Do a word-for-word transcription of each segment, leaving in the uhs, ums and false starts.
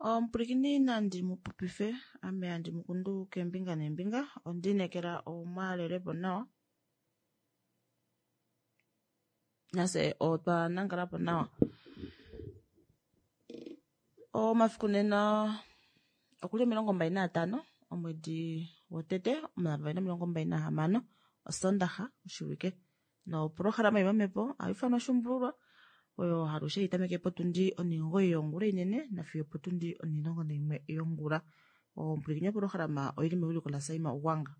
Omupwilikini nandi mupopife ame handi mukundu keembinga neembinga ondiinekela omwaalelepo nawa nafye otwa nangalapo nawa. Omafiku nena okuli omilongo mbali naatanho omwedi wotete omayovi avali nomilongo mbali nahamano osondaxa oshivike noprograma ili momepo ohaifanwa oshuumbululwa oyo alushe haitameke potundi onimugoyi yongula inene nafiyo opotundi onimulongo naimwe yongula. Omupwilikini oprograma oili mewiliko la Saima Ugwanga.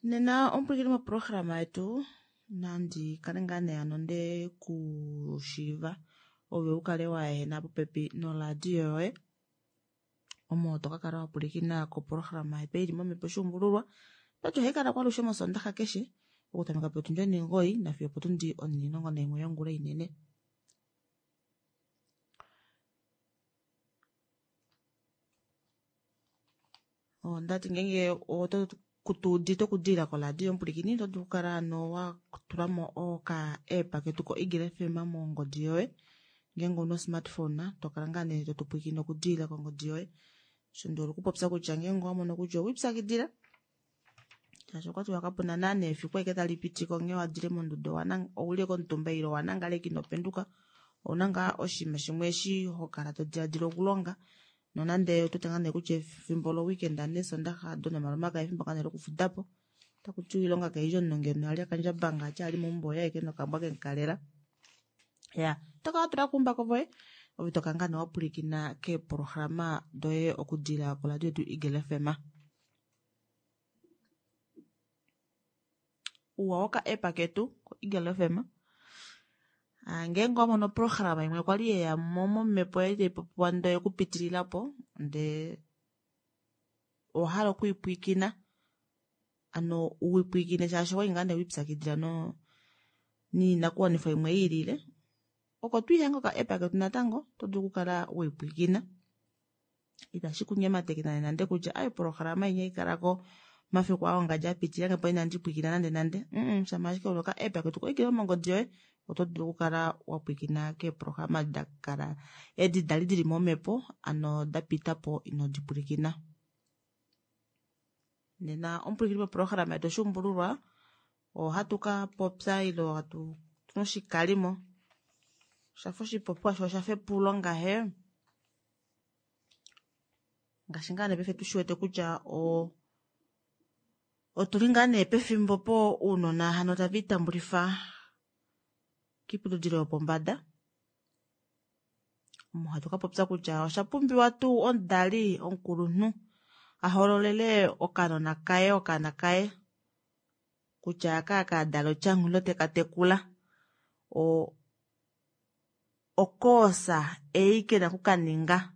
Nena omupwilikini moprograma yetu nandi kale ngaa nee hano ndekushiiva ove ukale waehena popepi noradio yoye omo tokakala wapwilikina koprograma yetu ei ili momepo oshuumbululwa okwati ohaikalako alushe moshondaxa keshe okutameka potundi onimugoyi nafiyo opotundi onimulongo naimwe yongula inene. Ondati ngenge oto tuudite okudilila koradio omupwilikini oto dulu okukala hano watulamo oka app ketu ko Eagle F M mongodi yoye ngenge ouna osmartphone tokala ngoo nee totupwilikine okudilila kongodi yoye osho ndihole okupopya kutya ngenge owamono kutya owelipyakidila shaashi okwatiwa kapuna naana efiku ashike talipitiko nghee wadile monduda ouli ashike omutumba ile owanangala ashike inopenduka ouna ngaa oshinima shimwe eshi hokala todilaadila okulonga nonande otuwete ngoo nee kutya efimbo lo weekend neesondaxa odo nomalomakaya efimbo ngoo nee lokufudapo otakutiwa oilonga kaidjuu omunhu ngeno ali akandjabanga vati ali meumbo oye aeke nokambwa kemukalela. Iyaa otokala watulako oumbako voye ove tokala ngoo nee wapwilikina keeprograma doye okudilila koradio yetu Eagle F M. Ouwa woka app ketu ko Eagle F M ngenge owamono oprograma imwe kwali yeyamo momepo yali taipopiwa ndee oyekupitililapo ndee owahala okwiipwiikina hano wiipwiikine shaashi okwali ngoo nee welipyakidila noinakuwanifwa imwe yiilile oko twiihanga oka app ketu natango oto dulu okukala weipwiikina itashi kunyemateke nande nande kutya aaye oprograma inya haikalako omafiku aa ongadi apitililangepo inandi pwiikina nande nande mm shama ashike una oka app ketu ko Eagle mongodi yoye oto dulu okukala wapwiikina keeprograma dakala edi dali dili momepo hano dapitapo ino dipwilikina. Nena omupwilikini moprograma yetu oshuumbululwa ohatu kapopya ile otuna oshikalimo oshafa oshipopiwa shoo oshafa epulo ngahe ngaashi ngaa nee paife tushiwete kutya oo otuli ngaa nee pefimbo opo ounona hano taviitambulifa koiputudilo yopombada omo hatu kapopya kutya oshapumbiwa tuu omudali omukulunhu ahololele okanona kaye okaana kaye kutya aka akadala otyanghu ile tekatekula oo okoosa ei kena okukaninga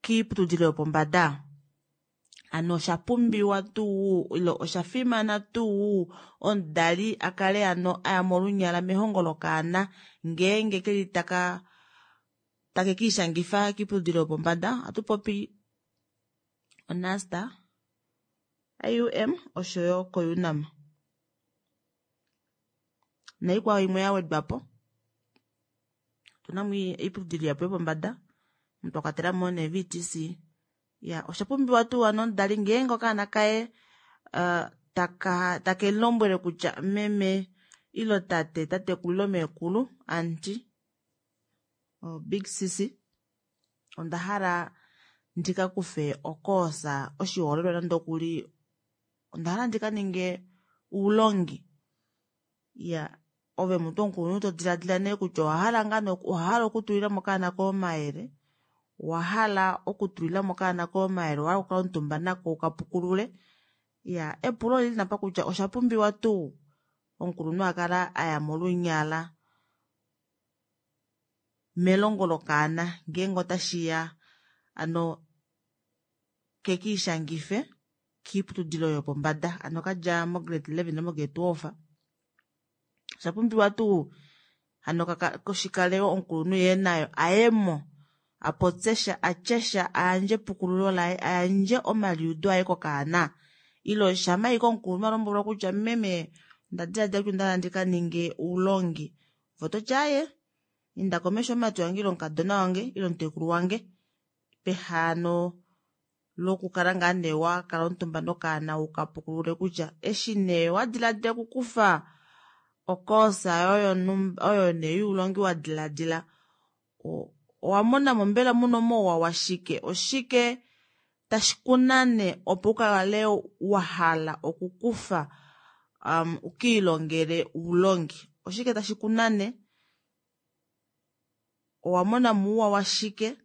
koiputudilo yopombada hano oshapumbiwa tuu ile oshafimana tuu omudali akale hano ayamo olunyala melongo lokaana ngeenge keli taka takekiishangifa koiputudilo yopombada ohatupopi o N U S T, I U M oshoyo ko U N A M naikwao imwe yawedwapo otunamo oiputudilo ihapu yopombada omo twakwatelamo nee V T C. Iyaa oshapumbiwa tuu hano omudali ngeenge okaana kaye taka takemulombwele kutya meme ile tate tatekulu ile meekulu aunty big sisi ondahala ndikakufe okoosa oshihoolelwa nande okuli ondahala ndikaninge oulongi iyaa ove mutu omukulunhu todilaadila nee kutya owahala ngoo nee owahala okutulilamo okaana koye omayele owahala okutulilamo okaana koye omayele owahala okukala omutumba nako ukapukulule iyaa epulo olili nee apa kutya oshapumbiwa tuu omukulunhu akale ayamo olunyala melongo lokaana ngeenge otashiya hano kekiishangife koiputudilo yopombada hano kadja mo grade eleven ile mo grade twelve oshapumbiwa tuu hano shikale omukulunhu yee naye ayemo apopyesha atyesha ayandje epukululo laye ayandje omaliudo aye kokaana Ile shama ashike omukulunhu alombwelwa kutya meme onda diladila kutya onda hala ndikaninge oulongi, ove ototi aaye inda komesho mumati wange ile omukadona wange ile omutekulu wange, peha lokukala ngaa nee wakala omutumba nokaana ukapukulule kutya eshi nee wadiladila okukufa ocourse oyo oyo nee youlongi wadiladila owamonamo mbela muna omauwa washike, oshike tashi kunane opo ukale wahala okukufa um, ukiilongele oulongi, oshike tashi kunane, owamona muuwa washike,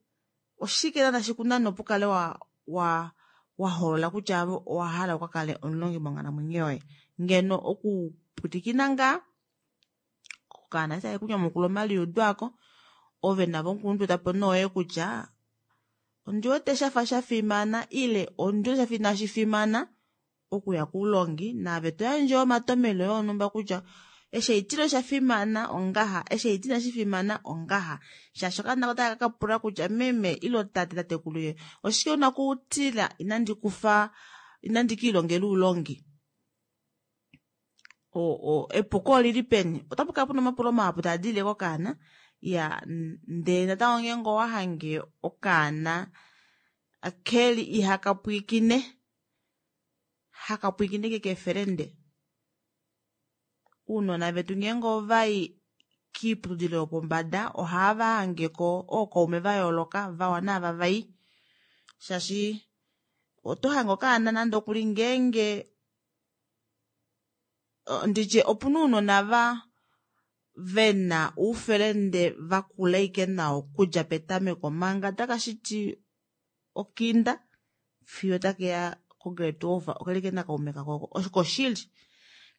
oshike tashi kunane opo ukale wa wa wahoolola kutya owahala ukakale omulongi monghalamwenyo yoye. Ngeno okupwilikina ngaa okaana eshi take kunyamukula omaliudo ako, ove navo omukulunhu toetapo nee kutya ondiwete shafa shafimana ile ondiwete shafa inashi fimana okuya koulongi, naave toyandje omatomelo onhumba kutya eshi haitile osha fimana ongaha, eshi haiti inashi fimana ongaha, shaashi okaana otaka kapula kutya meme ile tate tatekulu oshike una okutila inandi kufa inandi kiilongela oulongi, epuko olili peni, otapu kala puna omapulo mahapu taadilile kokaana. Iya ndee natango ngeenge owahange okaana keli ihakapwiikine hakapwiikine ashike keefelende, ounona vetu ngeenge ovayi kiiputudilo yopombada ohava hangeko ookaume vayooloka vawa naava vai, shaashi otohange okaana nande okuli ngeenge nditye opuna ounona va vena oufelende vakula ashike nao okudja petameko manga takashiti okinda fiyo takeya ko grade twelve okeli ashike nakaume kako oko oshili.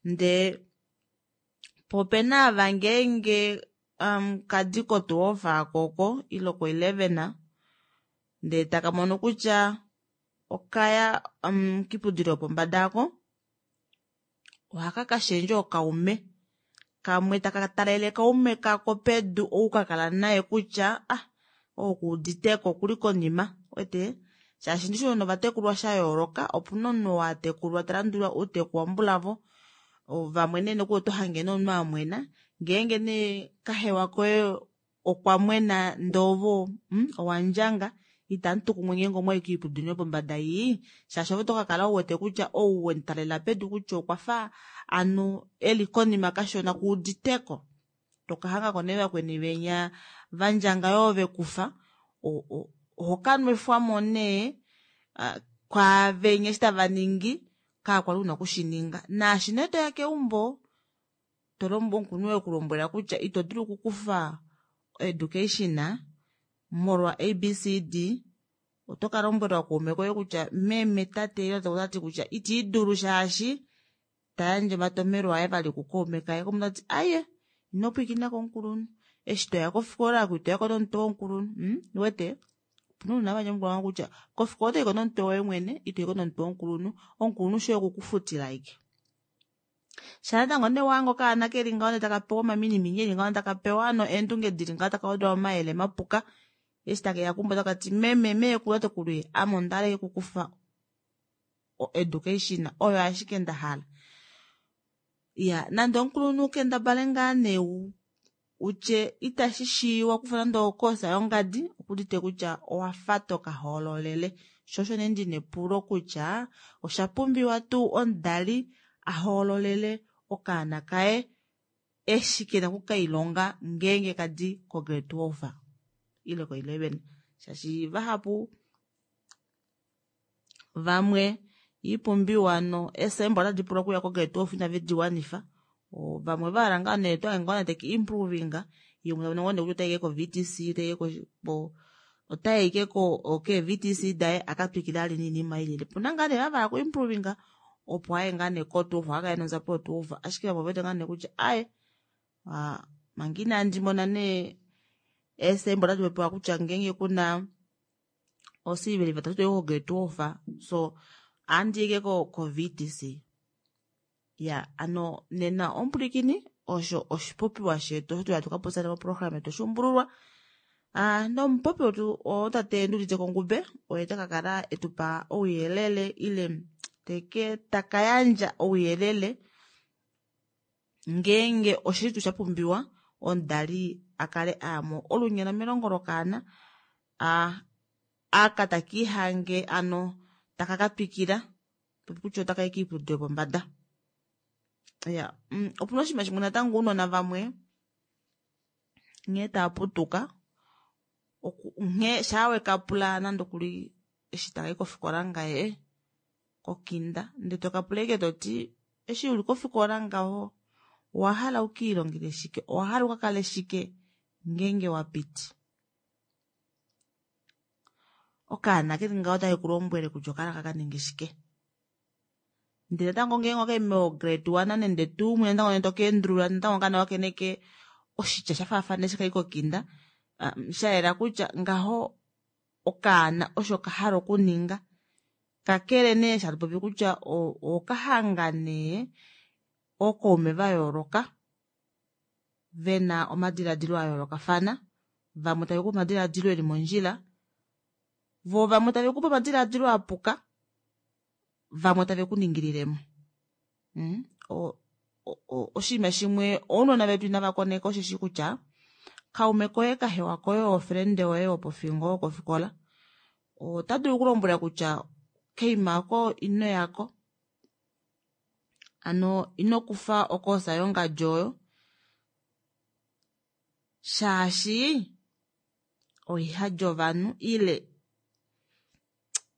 Ndee po opena ava ngeenge um, kadi ko twelve aako ile ko eleven ndee takamono kutya okaya um, kiiputudilo yopombada aako ohaka kashendja ookaume kamwe taka talele kaume kako pedu ou kakala naye kutya ah ou kuuditeko okuli konima, uwete shaashi ndishi ounona ovatekulwa shayooloka, opuna omunhu oo atekulwa talandula outeku wambulavo, vamwe nee nokuli oto hange nee omunhu amwena ngeenge nee kahewa koye okwa mwena ndee ove owandjanga itamutu kumwe ngeenge omwayi koiputudilo yopombada ii, shaashi ove otokakala uwete kutya ou wemutalela pedu kutya okwafa anu eli konima kashona kuuditeko, tokahangako nee vakweni venya vandjanga yoo vekufa, ohokanwefwamo nee kwaavenya eshi tavaningi kaakwali una okushininga, naashi nee toya keumbo tolombwelwa omukulunhu ekulombwela kutya ito dulu okukufa education molwa A B C D, oto kalombwelwa kukaume koye kutya meme tate ile tati kutya itiidulu shaashi tayandje omatomelo aye vali kukaume kaye, omunhu otati aaye ino pwiikina komukulunhu eshi toya kofikola oko itoyako nomutwe womukulunhu mm uwete opuna ounona hava nyamukula kutya kofikola otoyiko nomutwe woye mwene itoyiko nomutwe womukulunhu, omukulunhu shoye okukufutila ashike. Shaa natango nee wahange okaana keli ngaho ndee taka pewa omaminimini eli ngaho taka pewa hano eendunge dili ngaho taka wedwa omayele mapuka, eshi takeya keumbo otakati meme meekulu tatekulu ame ondahala ashike okukufa education oyo ashike ndahala. Iya nande omukulunhu kendabale ngaa nee utye itashi shiiwa kufa nande ocourse yongadi okuudite kutya owafa toka hoololele, sho osho nee ndina epulo kutya osha pumbiwa tuu omudali ahoololele okaana kaye eshi kena okukailonga ngeenge kadi ko grade twelve ile ko eleven, shaashi vahapu vamwe iipumbiwa no eesemba otadi pula okuya ko grade twelve inave diwanifa, vamwe vahala ngaa nee otohange ngoo nee teki improvinga yee umwe tamono ngoo nee kutya otayi ashike ko V T C otayi ashike kee V T C daye akatwikile vali noinima ilile, opuna ngaa nee ava vahala okuimprovinga opo aye ngaa nee ko twelve akakale nodjapo yo twelve, ashike vamwe ovewete ngaa nee kutya aaye manga inandi mona nee eesemba otadi popiwa kutya ngeenge kuna osiliveli vatatu toyi ko grade twelve so ohandiyi ashike ko V T C. Iya ano nena omupwilikini osho oshipopiwa shetu osho twali tukapopya moprograma yetu oshuumbululwa. Nomupopi wetu otate Nduudite Kongube oye takakala etupa ouyelele ile Teke taka yandja ouyelele ngeenge oshili tuu shapumbiwa omudali akale ayamo olunyala melongo lokaana aka takiihange ano taka katwikila kutya otakayi kiiputudilo yopombada. Iyaa opuna oshinima shimwe natango ounona vamwe nghee taaputuka nghee shaa wekapula nande okuli eshi takayi kofikola ngaye kokinda ndee tokapula ashike toti eshi uli kofikola ngaho owahala ukiilongele shike owahala ukakale shike ngeenge wapiti. Okaana keli ngaho ota kekulombwele kutya okahala kakaninge shike. Ndee natango ngeenge okayi mo grade one nande two mwiya natango tokeendulula natango okaana okene ashike oshitya shafaafana eshi kayi kokinda shayela kutya ngaho okaana osho kahala okuninga kakele nee eshi hatupopi kutya okahanga nee ookaume vayooloka vena omadilaadilo ayoolokafana vamwe tavekupe omadilaadilo eli mondjila voo vamwe tavekupe omadilaadilo apuka vamwe tave kuningililemo. Oshiima shimwe ounona vetu inava koneka osheshi kutya kaume koye kahewa koye ofrende yoye wopofingo wokofikola otadulu okukulombwela kutya kaima aako inoyako hano inokufa ocourse yongadi oyo shaashi oihadi ovanhu ile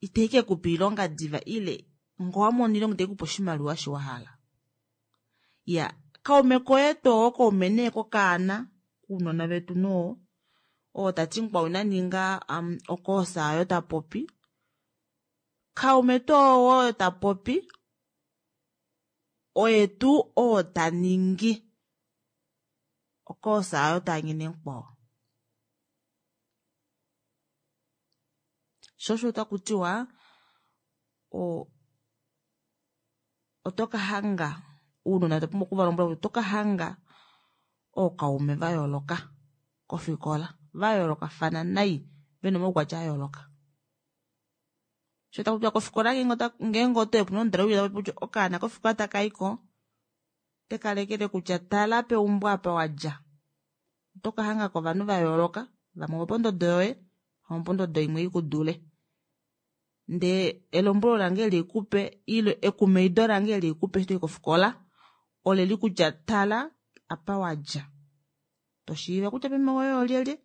itaikekupa oilonga diva ile ngee owamono oilonga itaikupe oshimaliwa osho wahala. Iyaa kaume koye tuu oo kaume nee kokaana ounona vetu nee oo oo tati mukwao inaninga ocourse aayo tapopi kaume tuu oo tapopi oye tuu oo taningi ocourse aayo taanyene mukwao. Shoo osho takutiwa oo otokahanga ounona otwa pumbwa okuvalombwela kutya otokahanga ookaume vayooloka kofikola vayoolokafana nai vena omaukwatya ayooloka. Shoo takutiwa kofikola ngeenge otoyi opena omudali ou tapopi kutya okaana kofikola takayiko otekalekele kutya tala peumbo apa wadja otokahangako ovanhu vayooloka vamwe ovopondodo yoye vamwe opododo imwe ikudule ndee elombwelo lange eli haikupe ile ekumaido lange eli haikupe eshi toyi kofikola oleli kutya tala apa wadja toshiiva kutya meme woye olyelye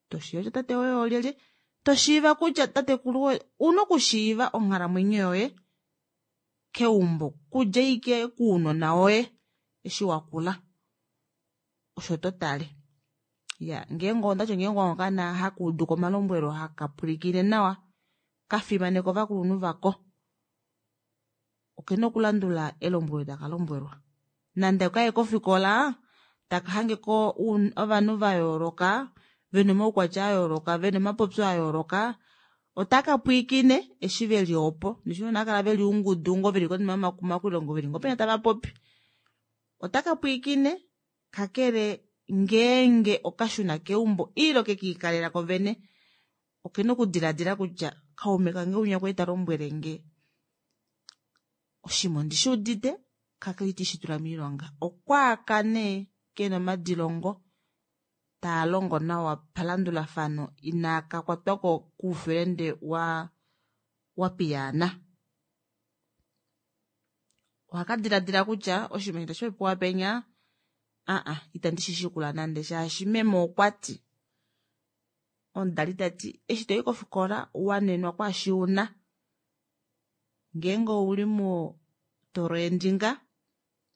toshiiva kutya tate woye olyelye toshiiva kutya tatekulu woye ouna okushiiva onghalamwenyo yoye keumbo kudja ashike kounona woye eshi wakula osho totale. Iyaa ngeenge ondati ngeenge owahange okaana hakuuduko omalombwelo hakapwilikine nawa kafimaneka ovakulunhu vako okena okulandula elombwelo takalombwelwa nande okaye kofikola taka hangeko ovanhu vayooloka vena omaukwatya ayooloka vena omapopyo ayooloka otaka pwiikine eshi veli opo ndishi ounona haakala veli oungudu ngoo veli konima yomakuma veli ngoo penya tavapopi otaka pwiikine kakele ngeenge okashuna keumbo ile okekiikalela koovene okena okudilaadila kutya kaume kange winya okwali talombwelenge oshiima ondishuudite kakele ita ndishitula moilonga. Okwaaka nee kena omadilongo taalongo nawa palandulafano inaka kwatwa koufrende waa wapiyaana. Ohakadilaadila kutya oshinima eshi tashipopiwa penya aahaha ita ndishishikula nande shaashi meme okwati omudali tati eshi toyi kofikola wanenwa kwaashi una ngeenge ouli moo tolweendi ngaa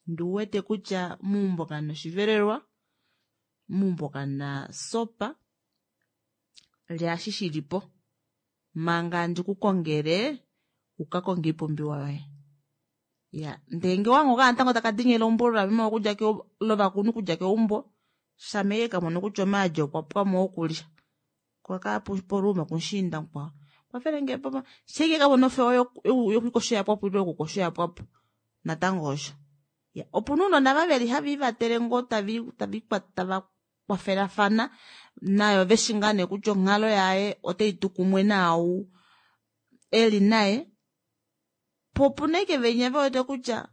ndee ouwete kutya meumbo kamuna oshivelelwa meumbo kamuna sopa lya eshi shilipo manga handi kukongele ukakonge oipumbiwa yoye. Iyaa ndee ngee owahange okaana natango taka dini elombwelo lameme okudja lovakulunhu okudja keumbo shama ashike kamono kutya omaadi okwapwamo okulya koo okaya poluuma pumushiinda mukwao kwafelengepo shaike kamono ofewa yokwiikosha oyapwapo ile yokukosha oyapwapo natango osho. Opena ounona ava veli haviivatele ngoo tava kwafelafana nayo veshi ngaa neekutya onghalo yaye otaitu kumwe naau eli naye. Po opuna ashike venya vewete kutya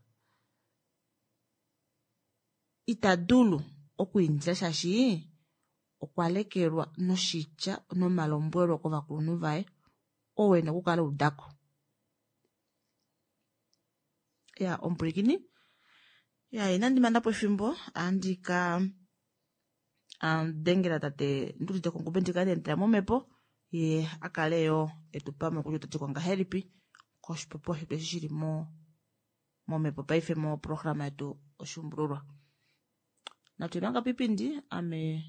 ita dulu okwiindila shaashi okwa lekelwa noshitya nomalombwelo kovakulunhu vaye oo ena okukala udako. Ya omupwilikini ya inandi manapo efimbo andika dengela tate Nduudite Kongube ndikale ndetela momhepo ye akale yo etupamo kutya otatiko ngahelipi koshipopiwa shetu eshi shili mo momhepo paife moprograma yetu oshuumbululwa. Natu manga piipindi ame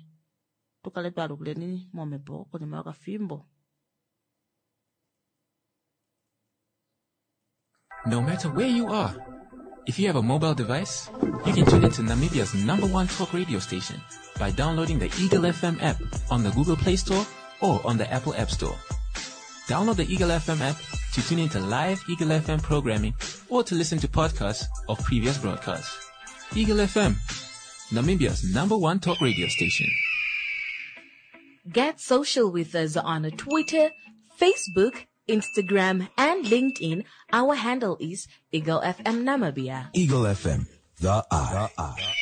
tukale twalukileni momhepo konima yokafimbo. No matter where you are, if you have a mobile device, you can tune into Namibia's number one talk radio station by downloading the Eagle F M app on the Google Play Store or on the Apple App Store. Download the Eagle F M app to tune into live Eagle F M programming or to listen to podcasts of previous broadcasts. Eagle F M, Namibia's number one talk radio station. Get social with us on Twitter, Facebook, Instagram, and LinkedIn. Our handle is Eagle F M Namibia. Eagle F M, the eye. The eye.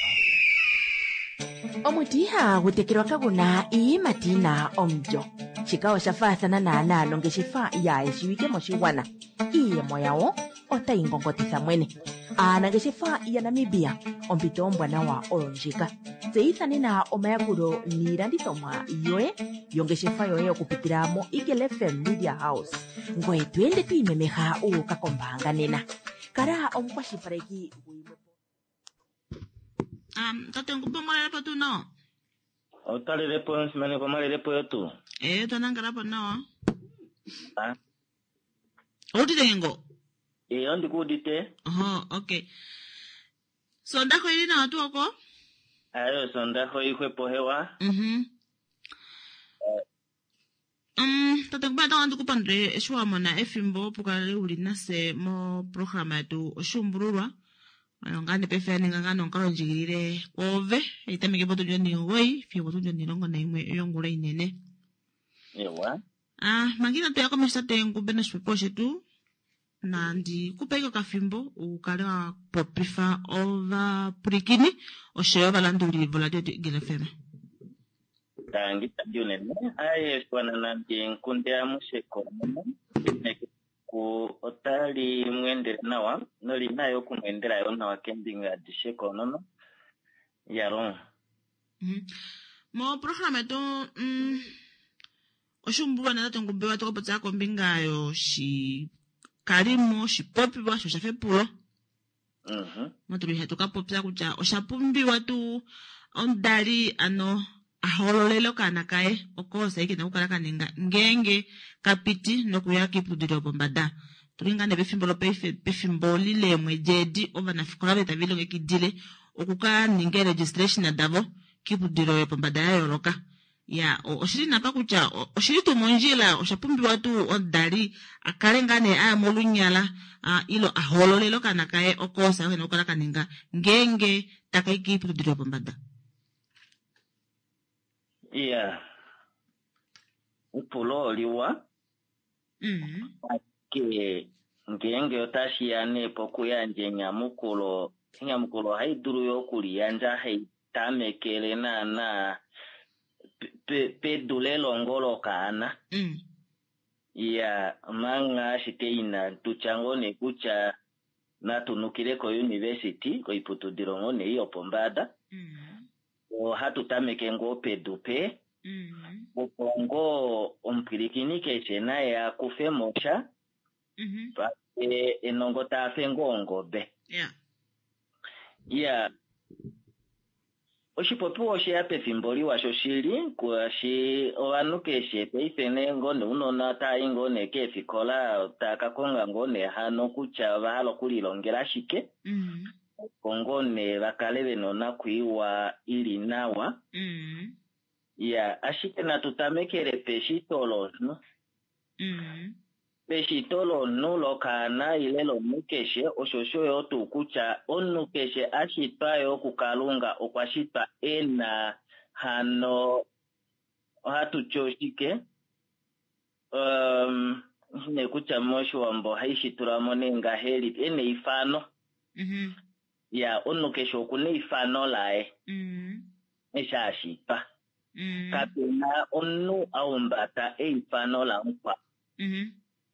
Omuti ihagu tekelwa kaguna iiyimati yina omulyo. Shika osha faathana naanaa nongeshefa yaayeshiwike moshigwana. Iiyemo yawo otayi ngongotitha mwene. Aanangeshefa yaNamibia, ompito ombwanawa oyo ndjika. Tseyitha nena omayakulo niilandithomwa yoye yongeshefa yoye okupitila mo Eagle F M Media House. Ngoye to ende to imemeha u uka kombaanga nena. Kala omukwashilipaleki gwiimwe. Um, tate Ngube omwalelepo tuu nawa? Otalelepo nsimaneko omwalelepo yo tuu? Eh, twanangalapo nawa. Ah. Outite ngengo? Eh, ondikuudite. Oho, okay. So ndako ili nawa tuu oko? Ayo, so ndako ihwepo hewa. Mhm. Um, tate Ngube natango ndikupandule eshi wa mona efimbo opo ukale uli nase moprograma yetu oshuumbululwa. Oyo ngaa nee paife ya ninga ngaa nonkalo ndjigilile kwoove, itameke potundi onimugoyi fiyo potundi onilongo naimwe yongula inene. Ewa. Ah, manga inatu ya komesho tate Ngube noshipopiwa shetu, nandi kupe ike okafimbo ukale wa popifa ovapwilikini oshoyo ovalanduli voradio yetu Eagle F M. Tangi tangi unene. Aye, shiwana nandi nkunde amushe konono. Ku otali mwendele nawa, noli nayo okumwendela yo nawa kembinga adishe konono. Yalo. Mm-hmm. Mo programa yetu, mm, oshuumbululwa na tate Ngube wa tokopotsa kombinga yoshikalimo, oshipopiwa sho shafepulo. Mhm. Motuli hatu ka popya kutya osha pumbiwa tuu omudali ano ahololele okaana kaye okoosa ike okukala ka ninga ngeenge kapiti nokuya kiiputudhilo yopombada. Tuli ngaa nee pefimbo lopaife, pefimbo lileemwedi edi ovanafikola ve tava ilongekidile okuka ninga registration davo kiiputudhilo yopombada ya yooloka. Ya, oshili napa kutya oshili tuu mondjila, osha pumbiwa tuu omudali a kale ngaa nee aya molunyala, ilo ahololele okaana kaye okoosa ake okukala ka ninga ngeenge taka i kiiputudhilo yopombada. Iya. Epulo oliwa. Mm. Ke ngeenge otashi ya nee pokuyandja enyamukulo, enyamukulo ohai dulu yo okuliyandja hai tamekele naana pedu lelongo lokaana. Mm. Iya, manga ashike ina tutya ngoo nee kutya natu nukile ko-university, koiputudhilo ngoo nee yopombada. Mm. Ohatu tameke ngoo pedu pe. Mm. Opo ngoo omupwilikini keshe naye akufe mo sha. Mm-hmm. Pake enongo taafe ngoo ongobe. Yeah. Iya. Oshipopiwa osheya pefimbo liwa shoshili, kwashi ovanhu keshe paife nee ngoo nee unona taayi ngoo nee keefikola taaka konga ngoo nee hano kutya ova hala okulilongela shike. Mm. Opo ngoo nee vakale vena onakwiiwa ili nawa. Mm. Iya, ashike natu tamekele peshito lomunhu. Mm. Peshito lomunhu lokaana ile lomunhu keshe, osho osho yo tuu kutya omunhu keshe a shitwa yo kuKalunga okwa shitwa e na hano ohatu ti oshike? Um, Ne kutya moshiwambo ohaishi tula mo nee ngahelipi e na eifano. Mhm. Ya, omunhu keshe oku na eifano laye Mm. eshi ashitwa. Mm. Kapena omunhu a humbata eifano lamukwao Mhm.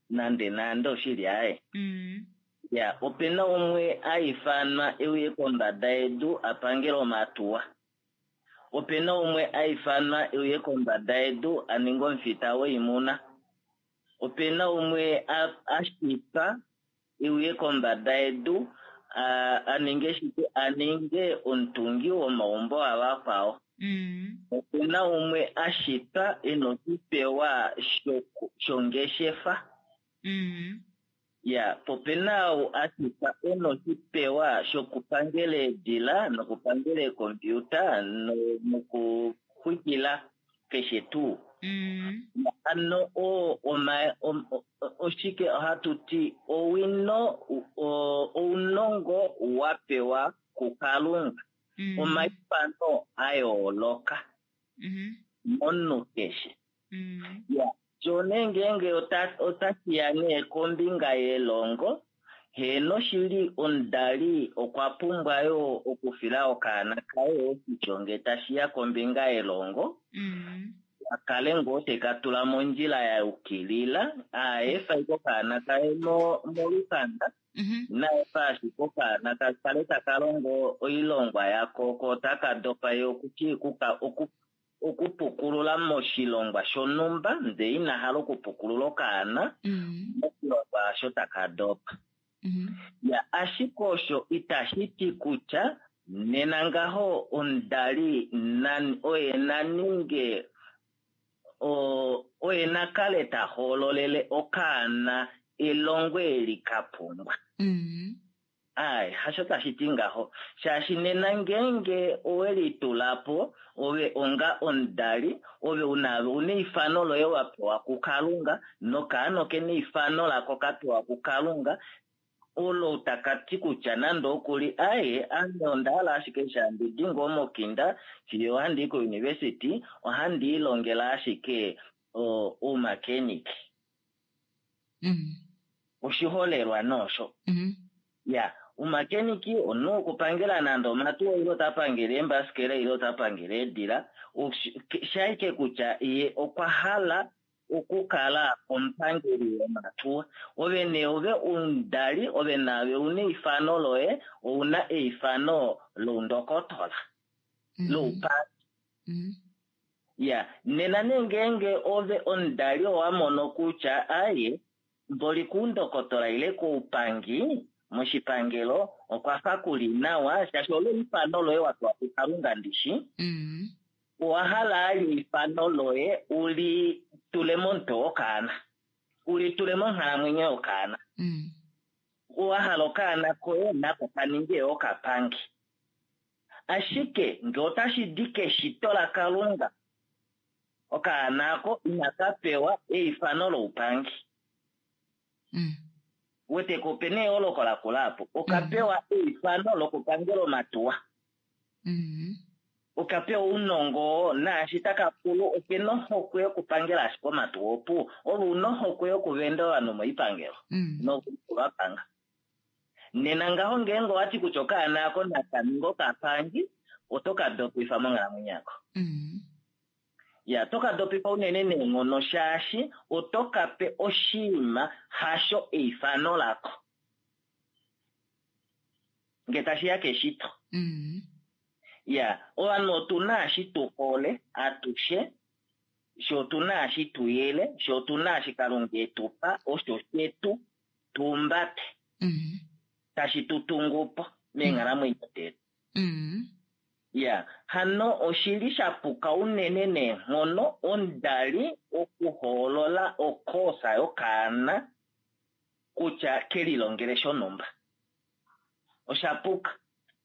nande nande oshili aye. Mm. Ya, opena umwe a ifanwa euye kombada yedu a pangele omatuwa. Opena umwe a ifanwa euye kombada yedu a ninge omufita woimuna. Opena umwe a, a shitwa euye kombada yedu a, a ninge shike, a ninge omutungi womaumbo avakwao. Mm. Opena umwe a shitwa e na oshipewa shoku- shongeshefa. Mm. Ya, popena ou a shitwa e na oshipewa shokupangela eedila nokupangela eekompiuta no- nokuxwikila keshe tuu. Mm. Ano oo oma- om- o- oshike ohatu ti owino o- ounongo wa pewa kuKalunga. Mm. Omaifano a yooloka Mhm. momunhu keshe. Mm. Ya, sho nee ngeenge ota- otashiya nee kombinga yelongo, heeno shili omudali okwa pumbwa yoo okufila okaana kaye oshisho ngee tashiya kombinga yelongo, Mm. a kale ngoo teka tula mondjila ya yukilila, aefa ashike okaana kaye mo- molukanda, Mhm. naefa ashike okaana ka kale taka longo oilongwa yako ko taka dopa ye okuti kuka oku okupukulula moshilongwa shonhumba ndee ina hala okupukulula okaana Mm. moshilongwa osho taka dopa. Mhm. Ya, ashike osho itashi ti kutya nena ngaho omudali na- oye na ninge o- oye na kale ta hoololele okaana elongo eli ka pumbwa. Mm. Ai, hasho tashi ti ngaho. Shaashi nena ngeenge owelitula po, ove onga omudali, ove una una eifano loye wa pewa kuKalunga, nokaana oke na eifano lako ka pewa kuKalunga, olo taka ti kutya nande okuli aye ame onda hala ashike shandi di ngoo mokinda fiyo ohandi i kouniversity, ohandi ilongele ashike o- oumakenik. Mm. Oshiholelwa noosho. Mhm. Ya, umakeniki omunhu okupangela nande omatuwa ile ota pangele eembasikela ile ota pangele eedila, oshi- ke- shaike kutya ye okwa hala okukala omupangeli womatuwa. Ove nee ove omudali, ove naave una eifano loye, ouna eifano loundokotola, Mm. loupangi. Mm. Ya, nena nee ngeenge ove omudali owa mono kutya aye, mboli kuundokotola ile koupangi moshipangelo okwa fa kuli nawa, shaashi olo eifano loye wa pewa kuKalunga ndishi, Mm. owa hala ali eifano loye uli tule momutwe wokaana, uli tule monghalamwenyo yokaana. Mm. Owa hala okaana koye nako ka ninge okapangi. Ashike ngee otashi di keshito laKalunga, okaana ako inaka pewa eifano loupangi. Mm. Wete ko opena eyooloko lakula apo. Okapewa eifano lokupangela omatuwa. Mm. Okapewa ounongo oo, naashi taka kulu okena ohokwe yokupangela ashike omatuwa opuwo. Ove una ohokwe yokuvenda ovanhu moipangelo Mm. nokuvapanga. Nena ngaho ngeenge owati kutya okaana ako naka ninge okapangi, oto ka dopifa monghalamwenyo yako. Mm. Ya, oto ka dopifa unene neenghono shaashi oto ka pe oshinima hasho eifano lako. Nge tashiya keshito. Mm. Ya, ovanhu otuna eshi tu hole atushe, sho otuna eshi tu yele, sho otuna eshi Kalunga e tu pa, osho shetu tuumbate, Mm. tashi tu tungu po meenghalamwenyo detu. Mm. Ya, hano oshili sha puka unene neenghono omudali okuhoolola okoosa yokaana kutya kelilongele shonhumba. Osha puka.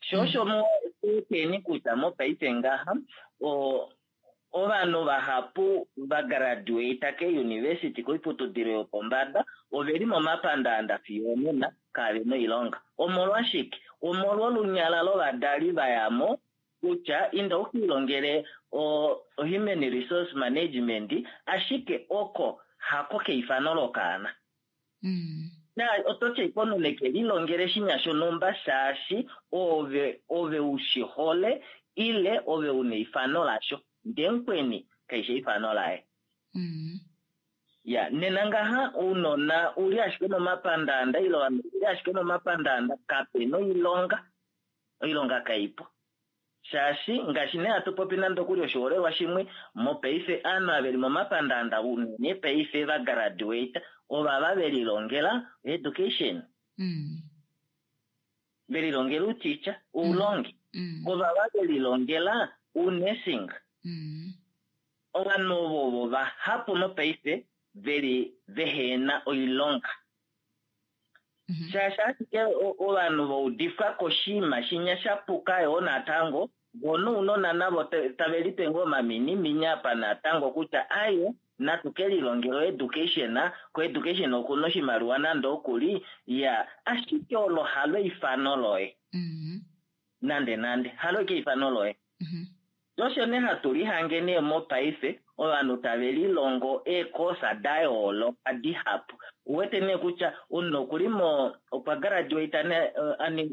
Sho osho mueteni kutya mopaife ngaha, o- ovanhu vahapu va graduata keuniversity koiputudilo yopombada oveli momapandaanda fiyo onena kavena oilonga. Omolwashike? Omolwolunyala lovadali vayamo kutya inda ukiilongele o human resource management, ashike oko Hako keifano lokaana. Mm. Na oto ti omunhu neke lilongele shinya shonhumba shaashi ove ove u shi hole ile ove una eifano lasho, ndee mukweni kaishi eifano laye. Mm. Ya nena ngaha ounona uli ashike momapandaanda ile ovanhu uli ashike momapandaanda kapena oilonga, oilonga kaipo. Shaashi ngaashi nee hatu popi nande okuli oshiholelwa shimwe, mopaife aanhu ava veli momapandaanda unene paife va graduate ovava velilongela education. Mm. Velilongela uticha, oulongi. Mm. Ovava velilongela unursing. Mm. Ovanhu ovo ovo vahapu mopaife veli vehena oilonga. Mhm. Shaashi ashike ovanhu vaudifwa koshiima shinya shapuka yoo natango, vo nounona navo tave lipe ngoo omaminiminya apa natango kutya aye natu ke lilongela education, ko education okuna oshimaliwa nande okuli, ya ashike olo halo eifano loye. Mm. Nande nande halo ike eifano loye. Mhm. Osho nee hatu lihange nee mopaife ovanhu tave lilongo eekosa da yooloka dihapu. Uwete nee kutya omunhu okuli mo okwa graduate ne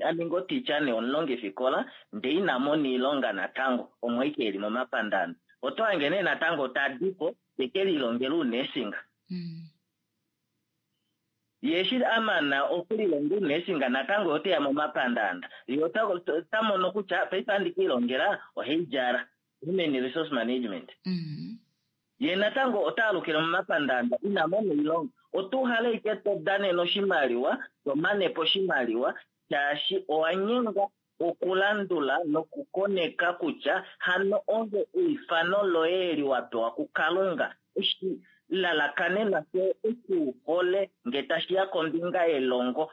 aninga oticha nee omulongifikola ndee ina mona oilonga natango omwe ike eli momapandaanda. Oto hange nee natango tadipo teke lilongela unursing. Mm. Ye eshi amana okulilonga unursing natango oteya momapandaanda. Ye ota mono kutya paife andi kiilongela oheidjala human resource management. Mm. Ye natango ota alukile momapandaanda ina mona oilonga. Oto uhala ike to danene oshimaliwa, to manepo oshimaliwa shaashi owa nyengwa okulandula nokukoneka kutya hano ove eifano loye eli wa pewa kuKalunga oshilalakanenwa shoye eshi u hole nge tashiya kombinga yelongo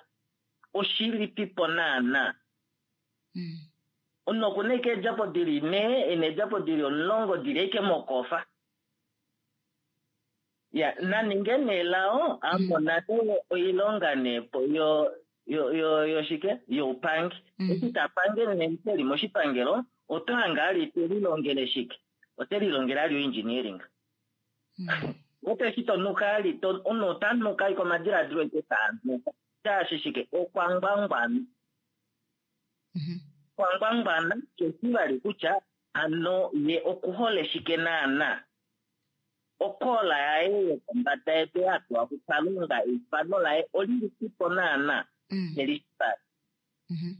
oshilipipo naana. Mm. Omunhu okuna ike eedjapo dili nhee, ena eedjapo dili omulongo dili ashike mokofa. Ya naninge nee lao amona nee oilonga nee po yo yo yo yoshike youpangi. Mm. Eshi tapange nee eli moshipangelo oto hange ali te lilongele shike, ote lilongele ali engineering. Mm. Ote shi tonuka ali to omunhu ota nuka ike omadiladilo eke taanuka shaashi shike okwa ngwangwana. Mhm. Okwa ngwangwana keshi vali kutya hano ye okuhole shike naana. Okola yaye yokombada yetu ya pewa kuKalunga eifano laye olilipipo naana. Mm. Nelishipali. Mhm.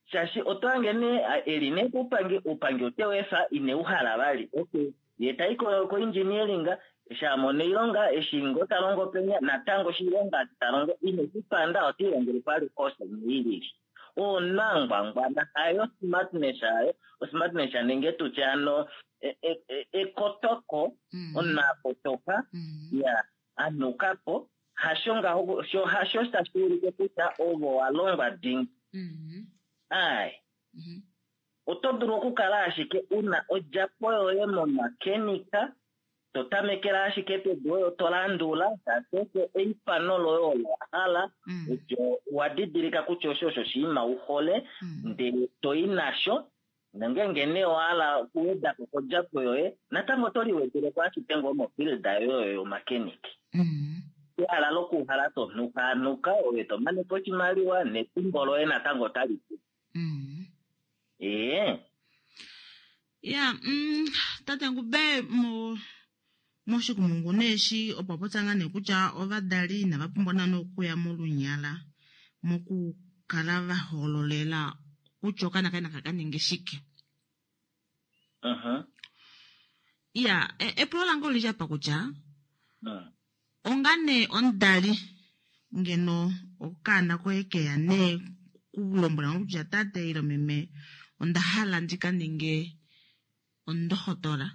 Shaashi oto hange nee eli nee kuupangi, uupangi ote wefa ine uhala vali. Okay. Ye tai ko, ko engineering, eshi amona oilonga, eshi ngoo ta longo penya, natango oshilonga ta longo ine shipanda ota ilongele pali course imwe ilili. Oona ngwangwana hayo smartness hayo, osmartness nenge tutye ano ekotoko, Mm. omunhu akotoka, Mm. ya anukapo, hasho ngaho, sho hasho tashi ulike kutya ovo wa longwa dingi. Mm. Ai. Mhm. Oto dulu okukala ashike una odjapo yoye momakenika, to tamekela ashike pedu oyo to landula, shaashi eifano loye olo wa hala, Mm. osho wa didilika kutya osho osho oshinima u hole, Mm. ndele to i nasho, nongenge nee owa hala okuwedako kodjapo yoye, natango oto liwedeleko ashike ngoo mofield yoye oyo yomakeniki. Mm. Ehala lokuhala to nukanuka, ove to manepo oshimaliwa nefimbo loye natango otali pu. Mm. Ee. Ya, mm, tate Ngube mo moshikumungu nee eshi opo popya ngaa nee kutya ovadali inava pumbwa naana okuya molunyala mokukala va hoololela kutya okaana kaye naka ka ninge shike. Mhm. Ya, e- epulo lange olili apa kutya Mm. onga nee omudali ngeno okaana koye keya nee kulombwela kutya tate ile meme onda hala ndi ka ninge ondohotola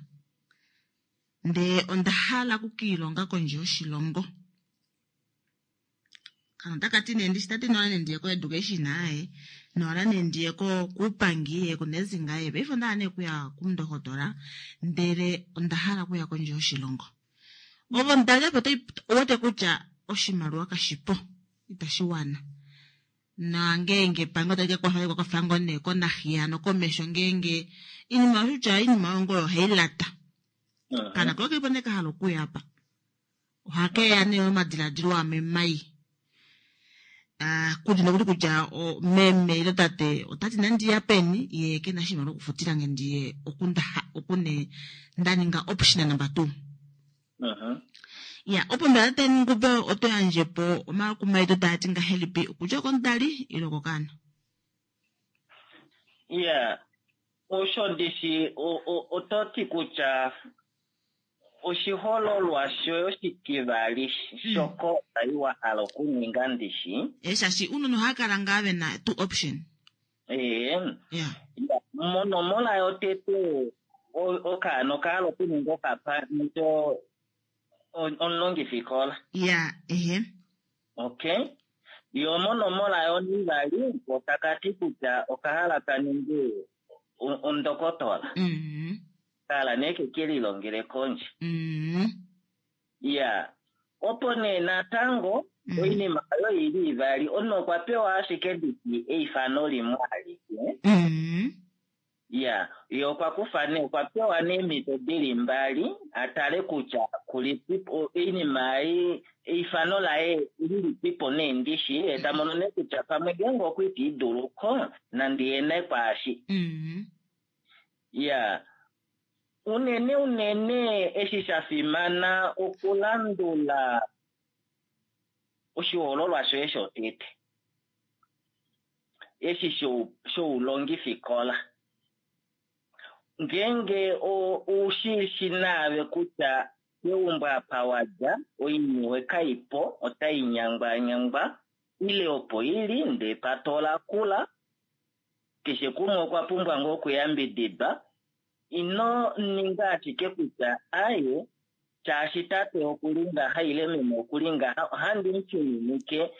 ndee onda hala okukiilonga kondje yoshilongo. Kana otakati nee ndishi tati nola nee ndiye ko-education aye, nola nee ndiye ko kuupangi ye kunursing aye, paife onda hala nee okuya kumundohotola ndele onda hala okuya kondje yoshilongo. Ovo omudali apo owete kutya oshimaliwa kashipo, itashi wana. Nangenge epangelo tali ka kwafa kwafa ngoo nee konahiya nokomesho ngeenge iinima kutya iinima oyo ngoo oyo hailata. Mhm. Kana koye kelipo nee kahala okuya apa. Ohakeya nee omadiladilo amwe mai. Ah, kuli nokuli kutya o, meme ile tate otati nandiya peni ye kena oshimaliwa okufutila nge ndiye oku nda- oku ne nda ninga option number two. Mhm. Ya, opo mbela tate Ngube oto yandje po omakumaido taa ti ngahelipi okudja komudali ile kokaana? Ya, osho ndishi o- o- oto ti kutya oshihololwa shoye oshitivali shoka otai wa hala okuninga ndishi. Eh, shaashi uunona ohaya kala ngaa ve na two option. Ee, Ya. ya, monomola yotete o- okaana okahala okuninga okapando omulongifikola. Ya, ehe. Okay. Yo monomola yonivali otakati kutya okahala ka ninge o- ondokotola. Mhm. Kahala nee keke lilongele kondje. Mhm. Ya. Opo nee natango Mhm. oinima oyo ili ivali omunhu okwa pewa ashike nditi eifano limwe alike. Mhm. Ya, ye okwa kufa nee okwa pewa neemhito dili mbali a tale kutya kulipipo oinima ei eifano laye lilipipo nee ndishi ye ta mono nee kutya pamwe ngeenge okwa iduluko nandi ye nee kwaashi. Mhm. Ya, unene unene eshi sha fimana okulandula oshihoololwa shoye shotete eshi shou- shoulongifikola. Ngeenge o- ushishi naave kutya keumbo apa wadja oiniwe kaipo otai nyangwanyangwa ile opo ili ndee patola kula keshe kumwe okwa pumbwa ngoo okuyambididwa ino ninga ashike kutya aye shaashi tate okuli ngaha ile meme okuli ngaha ohandi mufininike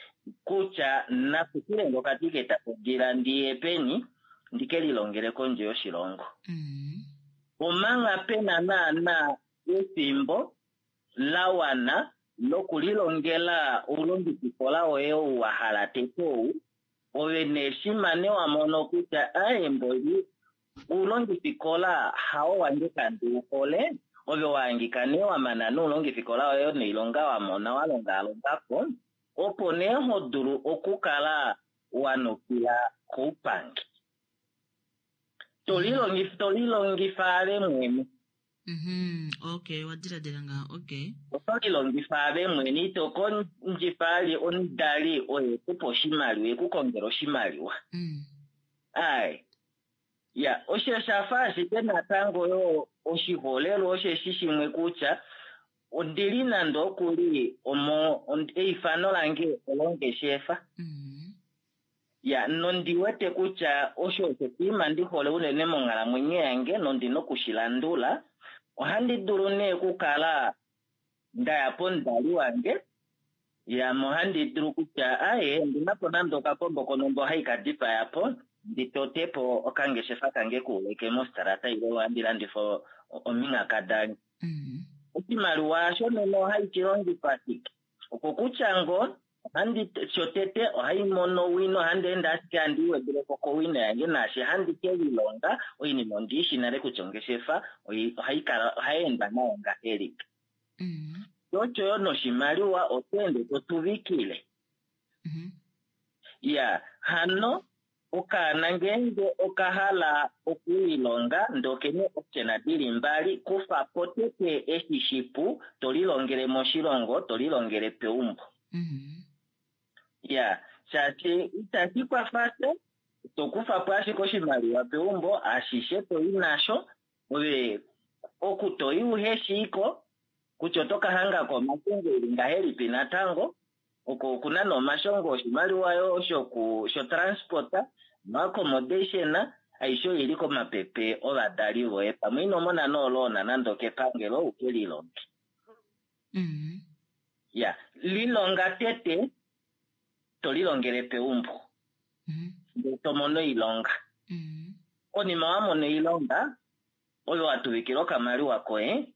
kutya nafutile ngo okatiketa kodila ndiye peni ndike lilongele kondje yoshilongo. Mhm. Omanga pena naana efimbo la wana lokulilongela oulongifikola woye ou wa hala tete ou ove nee shima wa mono kutya aye mboli oulongifikola hawo wange kandi uhole ove wahangika nee wa mana noulongifikola woye noilonga wa mona wa longalongako opo nee ho dulu okukala wa nukila koupangi. Tolilongifa tolilongifa ave mwene. Mhm. Okay, wa diladila ngaho. Okay. Oto lilongifa ave mwene ito kondjifa ali omudali oye kupa oshimaliwa ekukongela oshimaliwa. Mm. Ai. Ya, osho shafa ashike natango yo oshiholelwa osheshi shimwe kutya ondili nande okuli omo ond- eifano lange olongeshefa. Mhm. Ya, nondi wete kutya osho osho oshinima ndi hole unene monghalamwenyo yange nondina okushilandula. Ohandi dulu nee okukala ndaya pomudali wange yame ohandi dulu kutya aye ondina po nande okakombo konombo hai ka dipaya po ndi tote po okangeshefa kange kuuleke mostarata ile ohandi landifa o- ominghaka dange. Mhm. Oshimaliwa osho nena ohai shi longifa shike? Oko kutya ngoo ohandi shotete ohai mono owino ohandi ende ashike handi iwedeleko kowino yange naashi handi ke lilonga oinima ondiishi nale kutya ongeshefa oi- ohai kala ohai endwa nayo ngahelipi. Mhm. Osho yo noshimaliwa oto ende to tuvikile. Mhm. Ya, hano okaana ngeenge okahala okulilonga ndee okena option dili mbali kufa po tete eshi shipu to lilongele moshilongo to lilongele peumbo. Mhm. Ya, shaashi itashi kwafa sha to kufa po ashike oshimaliwa peumbo ashishe toyi nasho ove oku toyi uheshiiko kutya oto ka hangako omashongo eli ngahelipi natango oko okuna nee omashongo oshimaliwa yo shoku shotransport noaccommodation aishe oili komapepe ovadali voye pamwe ino mona nooloona nande okepangelo uke lilonge. Mhm. Ya, lilonga tete to lilongele peumbo Mhm. ndee to mono oilonga. Mhm. Konima wa mona oilonga oyo wa tuvikila okamaliwa koye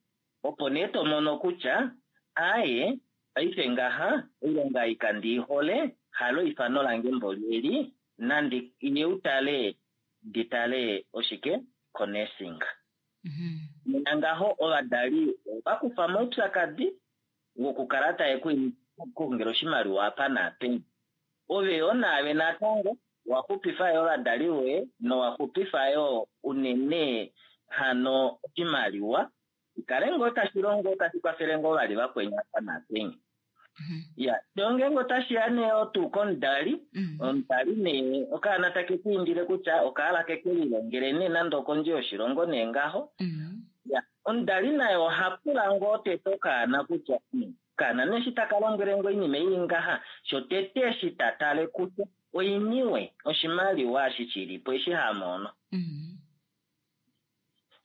opo nee to mono kutya aye paife ngaha oilonga ei kandi ihole halo eifano lange mboli eli nandi ye utale ndi tale oshike konursing. Mhm. Nena ngaho ovadali ova kufa moupyakadi wokukala taye ku kongela oshimaliwa apa naapeni. Ove yo naave natango waxupifa yo ovadali voye nowaxupifa yo unene hano oshimaliwa ikale ngoo tashi longo tashi kwafele ngoo vali vakweni apa naapeni. Ya, sho ngeenge otashiya nee otuu komudali, omudali nee okaana take ku indile kutya okahala keke lilongele nee nande okondje yoshilongo nee ngaho. Ya, omudali naye oha pula ngoo tete okaana kutya okaana nee eshi taka lombwele ngoo oinima ili ngaha, shotete eshi ta tale kutya oiniwe oshimaliwa eshi shilipo eshi hamono.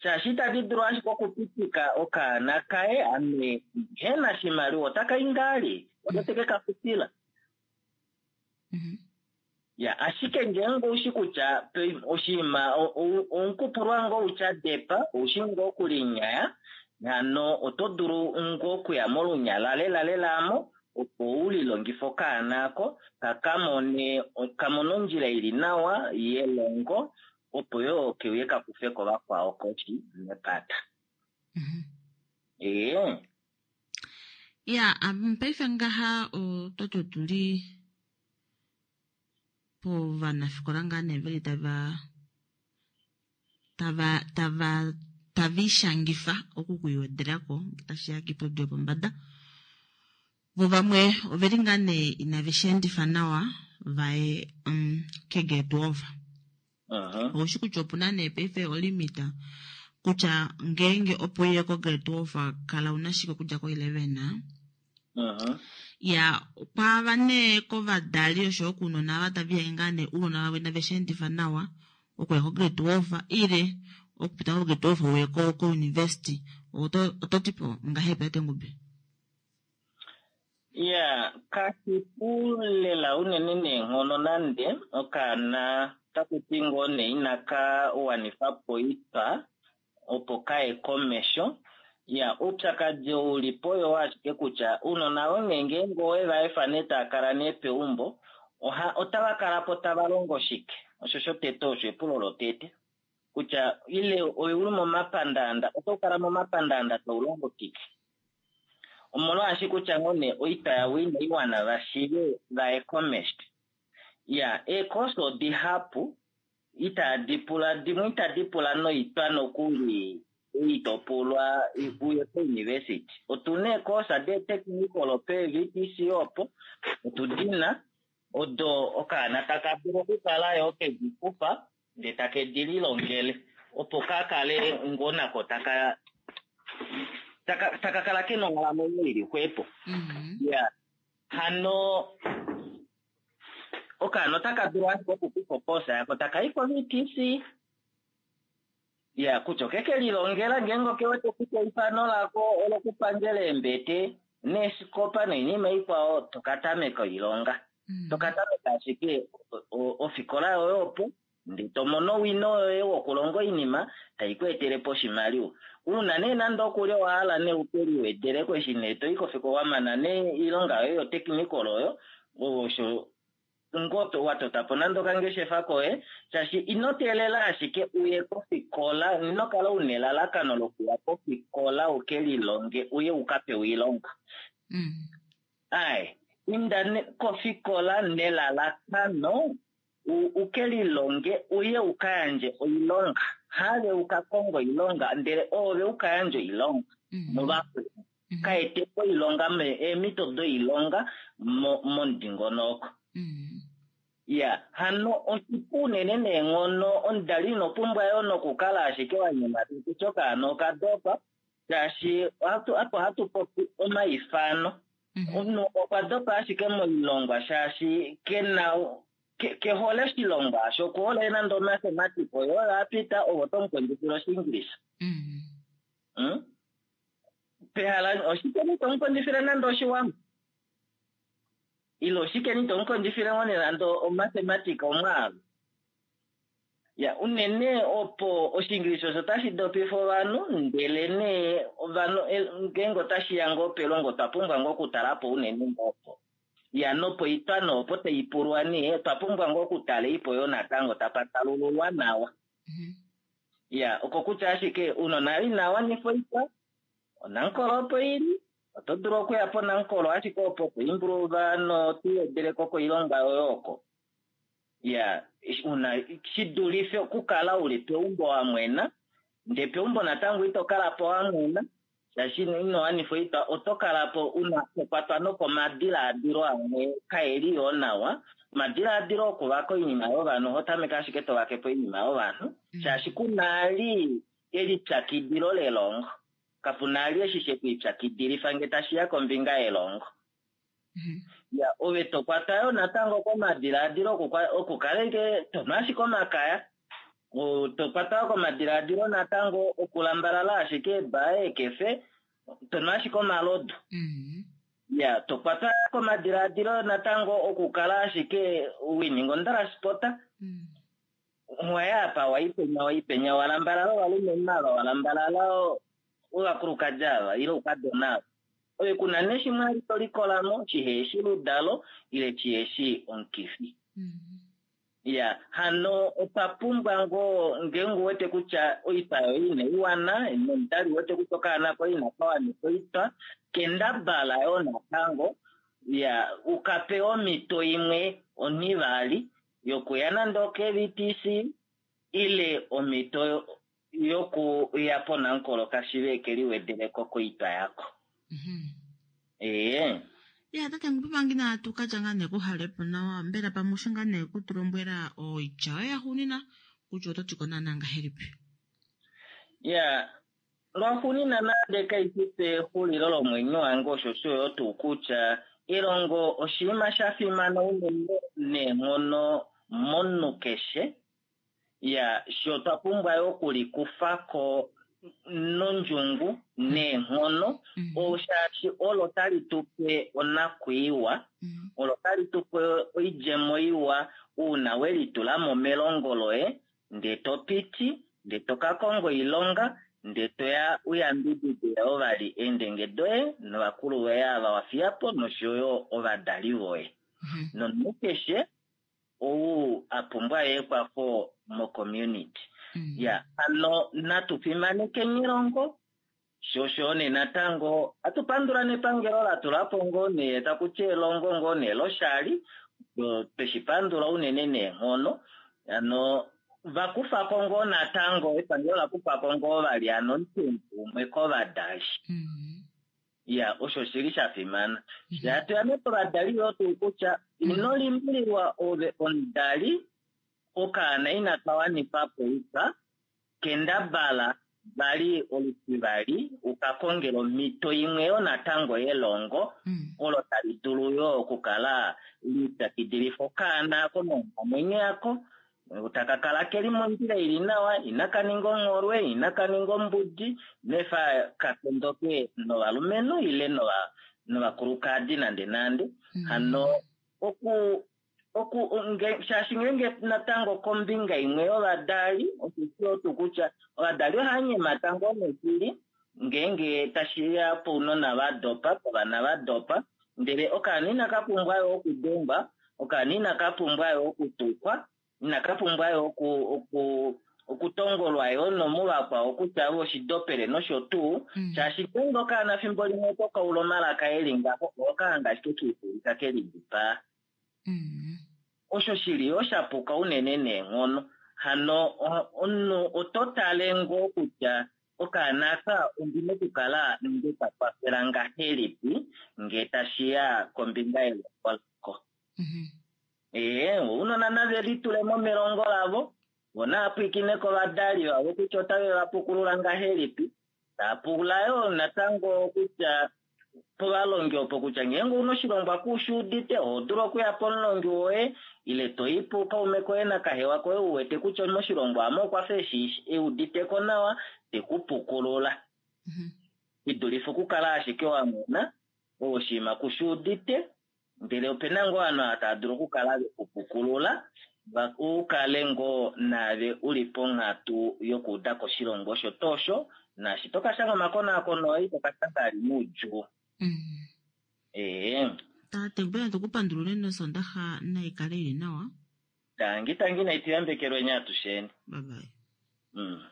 Shaashi itadi dulu ashike okupitika okaana kaye ame hena shimaliwa otaka i ngali ote ke ka futila. Ya, ashike ngeenge oushi kutya oshinima omukupulwa ngoo utya depa oushi ngoo okulinyaya hano oto dulu ngoo okuya molunyala lela lela amo opo ulilongife okaana ako kakamone kamone ondjila ili nawa yelongo opo yo keuye kakufeko vakwao koshi mepata. Ee. Ya, paife ngaha ototi otuli povanafikola ngaa nee veli tava tava tava tava ishangifa oku kuiwedelako tashiya kiiputudilo yopombada. Vo vamwe oveli ngaa nee inave shi endifa nawa vaye um, kegrade twelve. Oushi kutya opuna nee paife olimita kutya ngeenge opo uye ko grade twelve kala una shike okudja ko eleven. Ya, kwaava nee kovadali oshoyo kounona ava tava ihange ngaa nee ounona vavo inave shi endifa nawa okuya ko grade twelve ile okupita ko grade twelve uye ko ko university. Oto oto tipo ngahelipi tate Ngube? Ya, kashipu lela unene neenghono nande okaana takuti ngoo nee inaka wanifa po oitwa opo kaye komesho. Ya, oupyakadi oulipo oyo ashike kutya ounona vonge ngeenge owe va efa nee tava kala nee peumbo oha otava kala po tava longo shike? Osho shotete osho epulo lotete kutya ile ouli momapandaanda oto kala momapandaanda taulongo shike? Omolwaashi kutya ngoo nee oitwa yavo inai wana vashive vaye komesho. Ya, eekosa odihapu itadi pula dimwe itadi pula noitwa nokuli itopulwa uye ko-university. Otuna eekosa de-technical pe-V T C opo otudina odo okaana taka dulu okukala yo kedi kufa ndee take di lilongele opo kakale ngoo nako taka taka taka kala kena onghalamwenyo ili xwepo. Ya, hano okaana otaka dulu ashike okukufa oposa yako taka i ko-V T C. Ya, kutya okeke lilongela ngeenge okewete kutya eifano lako olokupangela eembete neesikopa noinima ikwao tokatameka oilonga. Tokatameka ashike ofikola yoye opo ndee tomono owino yoye wokulonga oinima tai ku etele po oshimaliwa. Uuna nee nande okuli owahala nee uke liwedeleko eshi nee toi kofikola wamana nee oilonga yoye yotechnical oyo osho ngoo watota po nande okangeshefa koye shaashi ino teelela ashike uye kofikola, ino kala una elalakano lokuya kofikola uke lilonge uye uka pewe oilonga. Ai, inda kofikola nelalakano uke lilonge uye uka yandje oilonga. Have uka konga oilonga ndele ove uka yandje oilonga novakweni. Ka ete po oilonga eemhito doilonga momudingonoko. Ya, hano oshipu unene neenghono omudali ino pumbwa yo nokukala ashike wa nyemata kutya okaana okadopa shaashi apo hatu popi omaifano. Omunhu okwa dopa ashike moilongwa shaashi kena kehole oshilongwa osho, okuhole nande omathematics oyo oyo apita ovo tomukondjifile Oshiingilisa. Pehala oshike ni tomukondjifile nande Oshiwambo? Ile oshike ni tomukondjifile ngoo nee nande omathematics omwaalu? Ya, unene opo Oshiingilisa osho tashi dopifa ovanhu ndele nee ovanhu ngeenge otashiya ngoo pelongo otwa pumbwa ngoo okutala po unene opo. Ya, nopo oitwa noopo tai pulwa nee otwa pumbwa ngoo okutala ipo yo natango tapa talululwa nawa. Ya, oko kutya ashike ounona ina wanifa oitwa, onankolo opo ili, Oto dulu okuya poNamcol ashike opo kuimbuluva notuwedeleko koilonga yoye oko. Ya, una shidulife okukala uli peumbo wamwena, ndee peumbo natango ito kala po wamwena, shaashi ino wanifa oitwa, oto kala po una tokwatwa nokomadilaadilo amwe kaeli yoo nawa. Omadilaadilo okuvaka oinima yovanhu, oho tameke ashike tovake po oinima yovanhu, shaashi kunali elipyakidilo lelongo. Kapuna ali eshi shekwiipyakidilifa nge tashiya kombinga yelongo. Ya, ove tokwata yo natango komadilaadilo okukala ike tonwa ashike omakaya, tokwata yo komadilaadilo natango okulambalala ashike eebaa eekefe, tonwa ashike omalodu. Ya, tokwata komadilaadilo natango okukala ashike wininga ondalaspota. Waya apa waipenya waipenya walambalala ovalumenhu ava, walambalala ovakulukadi ava ile oukadona ava. Ove kuna neshimwe ali tolikolamo shiheshi ludalo ile shiheshi omukifi. Ya, hano otwa pumbwa ngoo ngeenge uwete kutya oitwa yoye inai wana, nomudali uwete kutya okaana koye inaka wanifa oitwa, kendabala yoo natango ya ukape omhito imwe onhivali yokuya nande oke V T C ile omhito yokuya poNamcol kashive keliwedeleko koitwa yako. Ee. Ya, tate Ngupi natu katya ngaa nee kuhalepo nawa, mbela pamwe ushe ngaa nee kutulombwela oitya yoye yaxuunina kutya oto ti ko naana ngahelipi? Ya, lwaxuunina nande kaifi pexulilo lomwenyo wange, osho osho tuu kutya elongo oshinima sha fimana unene neenghono momunhu keshe. Ya, sho twa pumbwa yo okulikufako nondjungu neenghono, oshaashi olo tali tupe onakwiiwa, olo tali tupe oidjemo iwa uuna welitulamo melongo loye, ndee to piti, ndee to ka konga oilonga, ndee toya uyambidide ovali eendenge doye novakulu voye ava wafiyapo noshoyo ovadali voye. Nomunhu keshe ou a pumbwa ekwafo mo-community. Ya, hano natu fimanekeni elongo, sho osho nee natango atupandula nepangelo latulapo ngoo nee takuti elongo ngoo nee loshali, tweshipandula unene neenghono. Hano vakufako ngoo natango epangelo lakufako ngoo vali hano omutumbu umwe kovadali. Ya, osho shili sha fimana. Hatu ya nee povadali yoo tuu kutya ino limbililwa ove omudali, okaana inaka wanifa po oitwa, kendabala vali olutivali ukakongela omhito imwe yo natango yelongo, olo tali dulu yo okukala lipyakidilifa okaana komonghalamwenyo yako, taka kala keli mondjila ili nawa, inaka ninga ongholwe, inaka ninga ombudi, nefa katondoke novalumenhu ile nova novakulukadi nande nande. Hano oku oku nge, shaashi ngeenge natango kombinga imwe yovadali, osho tuu kutya ovadali ohava nyemata ngoo neshili ngeenge tashiya pounona va dopa, povana va dopa, ndele okaana inaka pumbwa yo okudengwa, okaana inaka pumbwa yo okutukwa, inaka pumbwa yo oku, oku, okutongolwa yo nomuvakwao kutya oshidopele nosho tuu, shaashi ngeenge okaana fimbo limwe tokaula omalaka eli ngaho, okahanga ashike kiifulika kelidipaa. Osho shili yo shapuka unene neenghono. Hano omunhu oto tale ngoo kutya okaana aka ondina okukala nge ka kwafela ngahelipi nge tashiya kombinga yelongo lako. Ee, ounona nave litulemo melongo lavo, vo naapwiikine kovadali vavo kutya otave va pukulula ngahelipi. Tapula yo natango kutya povalongi opo kutya ngeenge una oshilongwa kushuudite, oho dulu okuya pomulongi woye ile toyi pukaume koye nakahewa koye uwete kutya moshilongwa amo okwa fa eshi euditeko nawa, tekupukulula. Idulife okukala ashike wa mwena oshinima kushuudite, ndele opena ngoo ovanhu ava tava dulu okukala vekupukulula, ukale ngoo naave uli ponghatu yokuuda koshilongo osho tosho, naashi tokashanga omakonaakono oye tokashanga ali moudjuu. Ee. Tate, mbela tukupandulule nosondaxa naikale ili nawa. Tangi tangi naituyambekelwe atusheni. Bye bye. Mm.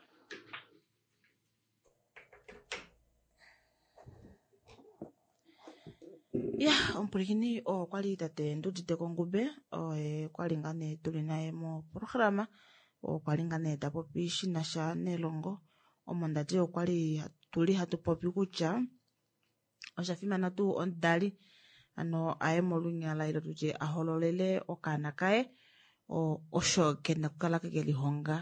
Ya omupulikini oo kwali tate Ndudite Kongube oye kwali ngaa nee tuli naye moprograma oo kwali ngaa nee tapopi shinasha nelongo omo ndati okwali tuli hatu popi kutya osha fimana tuu omudali ano aye molunyala ile tutye ahololele okaana kaye osho kena okukala kekelihonga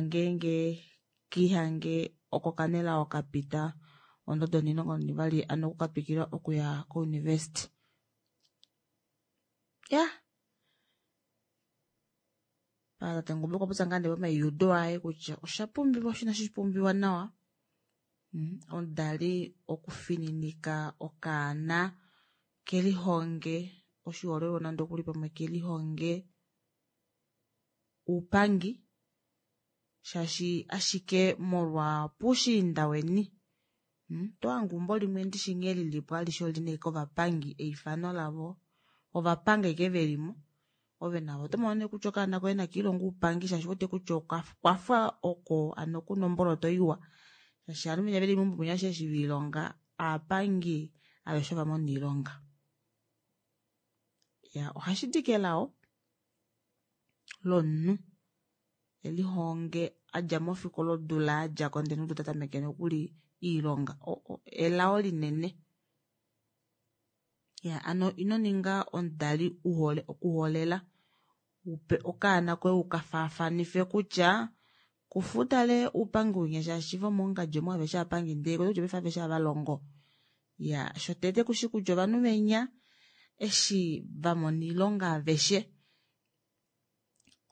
ngeenge kiihange oko kanelao kapita ondodo onimulongo nonivali ano okukatwikila okuya ko-university. Ya tate Ngumbi okwa popya ngaa nee pomaiudo aye kutya osha pumbiwa osho inashi pumbiwa nawa omudali okufininika okaana kelihonge oshiholelwa nande okuli pamwe kelihonge uupangi shaashi ashike molwa puushiinda weni otohange eumbo limwe ndishi nghee lilipo alishe olina ashike ovapangi eifano lavo ovapangi ashike velimo ove navo otomono nee kutya okaana koye nakiilonge oupangi shaashi ouwete kutya okwafa oko ano kuna omboloto iwa shaashi ovanhu venya veli meumbo munya eshi velihonga aapangi aveshe ovamona oilonga. Ya ohashidi kelao lomunhu elihonge adja mofikola odula yadjako ndele omunhu tatameke nokuli oilonga elao linene. Ya ano ino ninga omudali uhole okuholela upe okaana koye ukafaafanife kutya kufa utale oupangi winya shaashi vomongadji omu aveshe ovapangi ndee kutya paife aveshe ohavalongo. Ya shotete kushi kutya ovanhu venya eshi vamona oilonga aveshe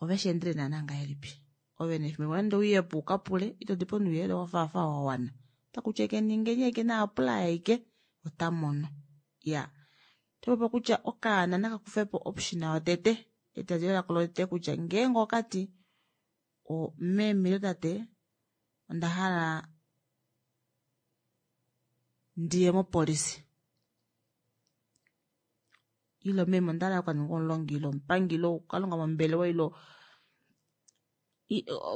ovesheendele naana ngahelipi ove nefimbo nande ouyepo ukapule ito dipo nouyelele wafaafa wawana otakutya ashike ningeni ashike na apply ashike otamono. Ya otopopi kutya okaana nakakufepo option yotete ediladilo lako lotete kutya ngeenge okati meme ile tate onda hala ndiye mopolisi ile meme onda hala okukaninga omulongi ile omupangi ile okukalonga mombelewa ile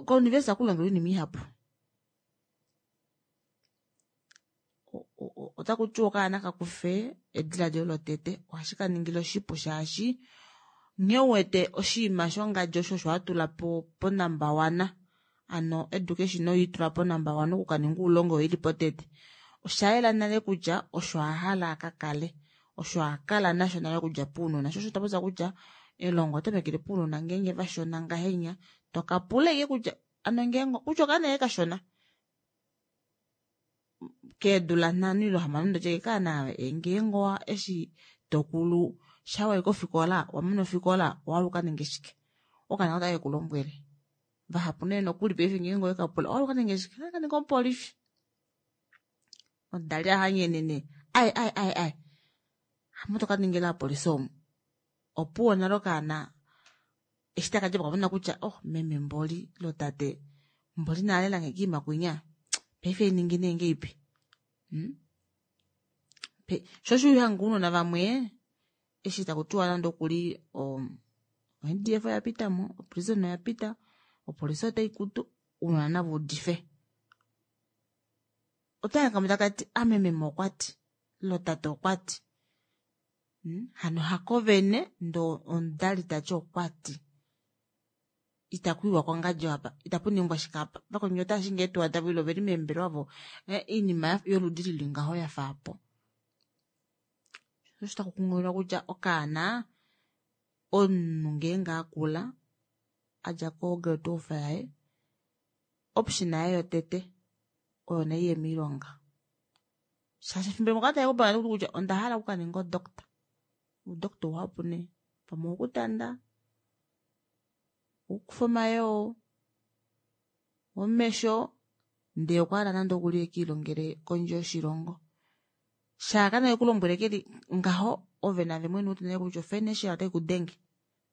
ko-university ohakulongelwa oinima ihapu. Otakutiwa okaana kakufe ediladilo lotete ohashi kaningile oshipu shaashi nghee uwete oshinima shongadi osho osho watula po ponumber one ano education oyeitula ponumber one okukaninga oulongi oyo ili potete oshayela nale kutya osho ahala akakale osho akala nasho nale okudja pounona sho osho tapopya kutya elongo otamekele pounona ngeenge vashona ngahenya tokapula ashike kutya ano ngeenge kutya okaana ashike kashona keedula nhano ile hamano ndotye kaana ngeenge eshi tokulu shawayi kofikola wamana ofikola owahala ukaninge shike okaana otake kulombwele vahapu nee nokuli paife ngeenge owekapula owahala ukaninge shike okaninga omupolifi omudali ahanyenene ai ai ai ai hamo tokaningila apolisi omu opuwo nale okaana eshi takadja po okamona kutya oh meme mboli lo tate mboli nalelange kiima kwinya paife ningi nee ngeipi sho osho hanga ounona vamwe eshi takutiwa nande okuli o N D F oya pitamo oprison oya pita opolisi otai kutu ounona nava udife otahanga takati ame meme okwati lo tate okwati hano hako vene ndoo omudali tati okwati itakuiwa kongadi apa itapuningwa shike apa vakweni otashinge eetuwa davo ile oveli meembelewa vo oinima yoludi lili ngaho yafa apo. Osho taku kunghililwa kutya okaana omunhu ngeenge akula adja ko grade twelve yaye option yaye yotete oyo naiye moilonga shaashi efimbo limwe okatale kupanga kutya onda hala okukaninga odoctor oudoctor uhapu nee pamwe owokutanda owokukufa omayoo womesho ndee okwahala nande okuli ekiilongele kondje yoshilongo shaaka nee kulombwele keli ngaho ove nave mwene uwete nale kutya ofinancial otai kudenge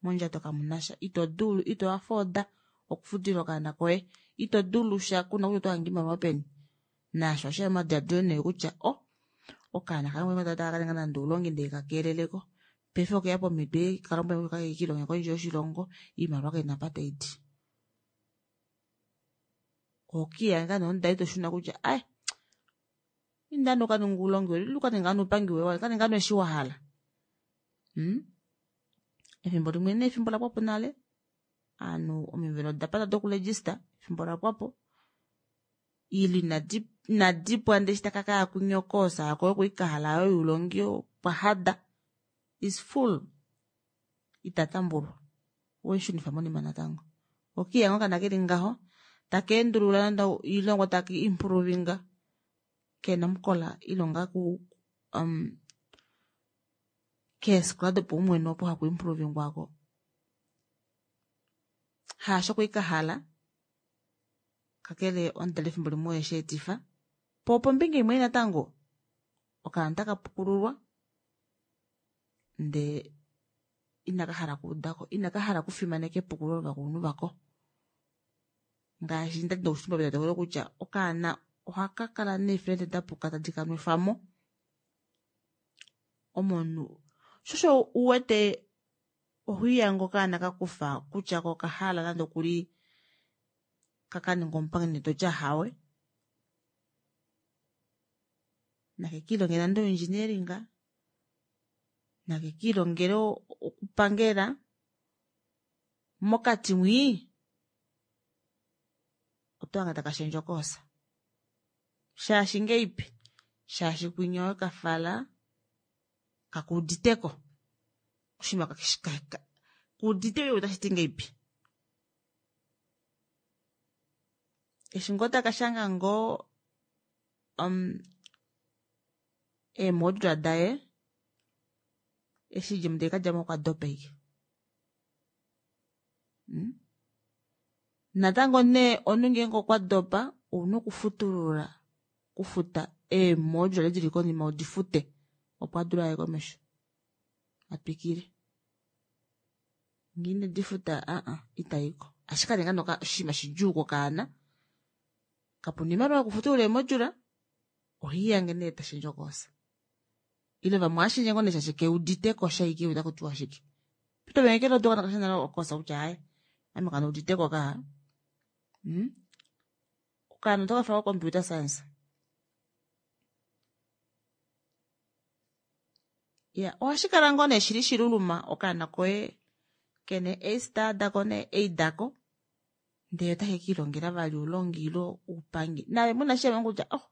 mondjato kamunasha ito dulu ito afforda okufutila okaana koye ito dulu sha kuna kutya oto hange oimaliwa peni naasho osheya omadiladilo nee kutya oh okaana kange taka kaninga nande oulongi ndee kakeeleleko paife okeya pomhito kalombwele kutya kakekiilonge kondje yoshilongo oimaliwa kaina apa taidi. Ohokiiyanga nee omudali toshuna kutya ai Inda nee ukaninge oulongi woye, ukaninge oupangi woye, kaninga nee eshi wahala. Hmm? Efimbo limwe nee efimbo lapwapo nale, aanhu omivelo odapata dokuregista, efimbo lapwapo, ile inadi inadipwa ndee eshi takakaya kwinya okoosa yako yokuikahala youlongi okwa hada, is full, ita tambulwa. Wemushunifa monima natango. Okiya ngoo okaana keli ngaho, taka endulula nande oilongwa taka improvinga, kena omukola ilonga ku um, keefikola dopaumwene opo haku improvingwako. Haasho kuikahala, kakele omudali efimbo limwe oye sheetifa. Po opombinga imwe natango, okaana otaka pukululwa, ndee inaka hala okuudako, inaka hala okufimaneka epukululo lovakulunhu vako. Ngaashi ndali nokushitumbula petameko kutya okaana ohaka kala neefriend dapuka tadi kanwefamo omunhu. Shosho uwete ohiyange okaana kakufa kutya ko okahala nande okuli kakaninga omupangi ndee toti ahawe. Nakekiilongele nande oengineering, nakekiilongele okupangela, mokati mwii otohange taka shendje okoosa. Shaashi ngeipi? Shaashi kwinya owekafala kakuuditeko. Oshinima kuudite otashiti ngeipi. Eshi ngoo takashanga ngoo um, eemodula daye, eshi djemo tekadjamo okwa dopa ashike. Hmm? Natango nee omunhu ngeenge okwa dopa, ouna okufutulula, okufuta eemodula dili konima udifute, opo adule aye komesho atwikile. Ngee inedifuta aa itaiko. Ashike kaninga nee oshinima shidjuu kokaana, kapuna oimaliwa yokufutulula eemodula, ohiihange nee tashendje okoosa. Ile vamwe ohashendje ngoo nee shaashi keuditeko shaike otakutiwa shike. Pito venge kelo doka nakasha nale okoosa kutya aaye, ame kandiuditeko kaa. Hmm? Okaana otokafala ko computer science. Ya, ohashi kala ngoo nee shili shiluluma okaana koye kena A star dako nee A dako, ndee otake kiilongela vali oulongi ile oupangi. Naave mwene ohashi kutya oh,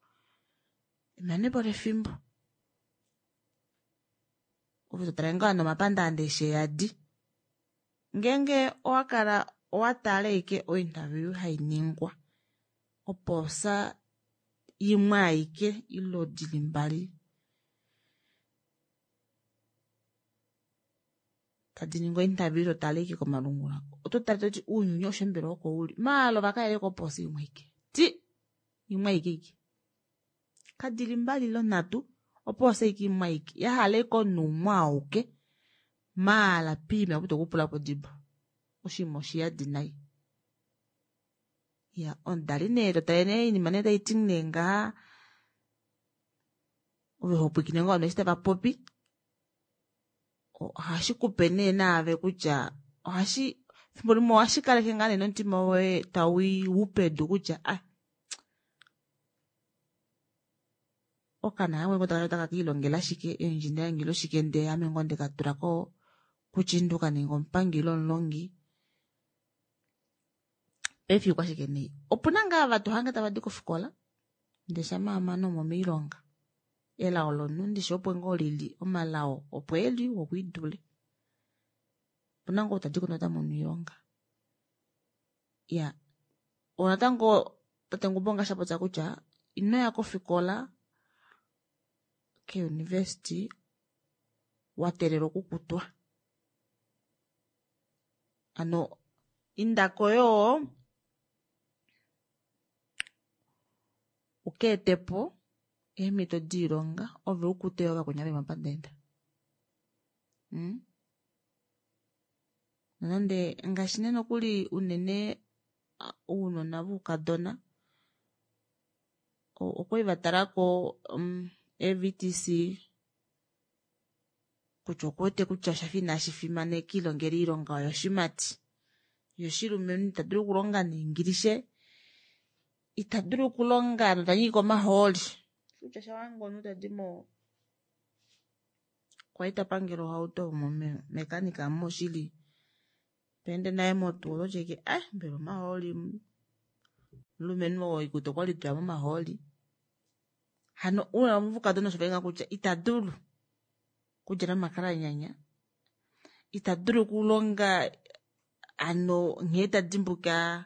emanepo lefimbo. Ove totale ngoo nomapandaanda eshi eyadi. Ngeenge owakala owatala ashike ointerview hainingwa, opoosa imwe aike ile dili mbali tadi ningi ointerview totale ashike komalungula, oto tale toti ounyuni aushe mbela oko uli. Maala ovakaele kopoosa imwe aike. Ti! Imwe aike ike. Kadili mbali ile nhatu, opoosa ashike imwe aike. Yahala ashike omunhu umwe auke, maala piima opo tokupula po dibo. Oshinima oshiyadi nai. Ya, omudali nee totale nee oinima nee taiti nee ngaha, ove hopwiikine ngoo ovanhu eshi tava popi, ohashi kupe nee naave kutya ohashi efimbo limwe ohashi kaleke ngaa nee nomutima woye tau pedu kutya ah, okaana kange ngoo otaka kiilongela shike, engineering ile shike, ndee ame ngoo ndeka tulako kuchindu kaninga omupangi ile omulongi. Paife okwashike nee? Opuna ngaa vatu hange tava di kofikola, ndee shamha amane omo moilonga. Elao lomunhu ndishi opo ngoo lili, omalao opo eli wokwiidule. Opuna ngoo tadi ko nota mono oilonga. Ya, onatango tate Ngumbo ngaashi apopya kutya inoya kofikola keuniversity wateelela okukutwa. Ano indako yoo ukeetepo eemhito diilonga ove ukute yoo vakweni ava momapandaanda. Hmm? Nonande ngaashi nee nokuli unene ounona voukadona okwali vatalako um, E V T C kutya okuwete kutya oshafa inashi fimaneka ilongela oilonga oyo yoshimati. Yoshilumenhu ita dulu okulonga neingilishe, ita dulu okulonga notanyika omahooli. Kutya shawange omunhu tadi mo kwali tapangela ohauto mekanika moshili pende naye motuwa ototyeke eh mbela omahooli mulumenhu oo oikutu okwali toya momahooli hano una omukadona osho vainga kutya ita dulu kudjala omakalanyanya ita dulu okulonga ano nghee tadimbuka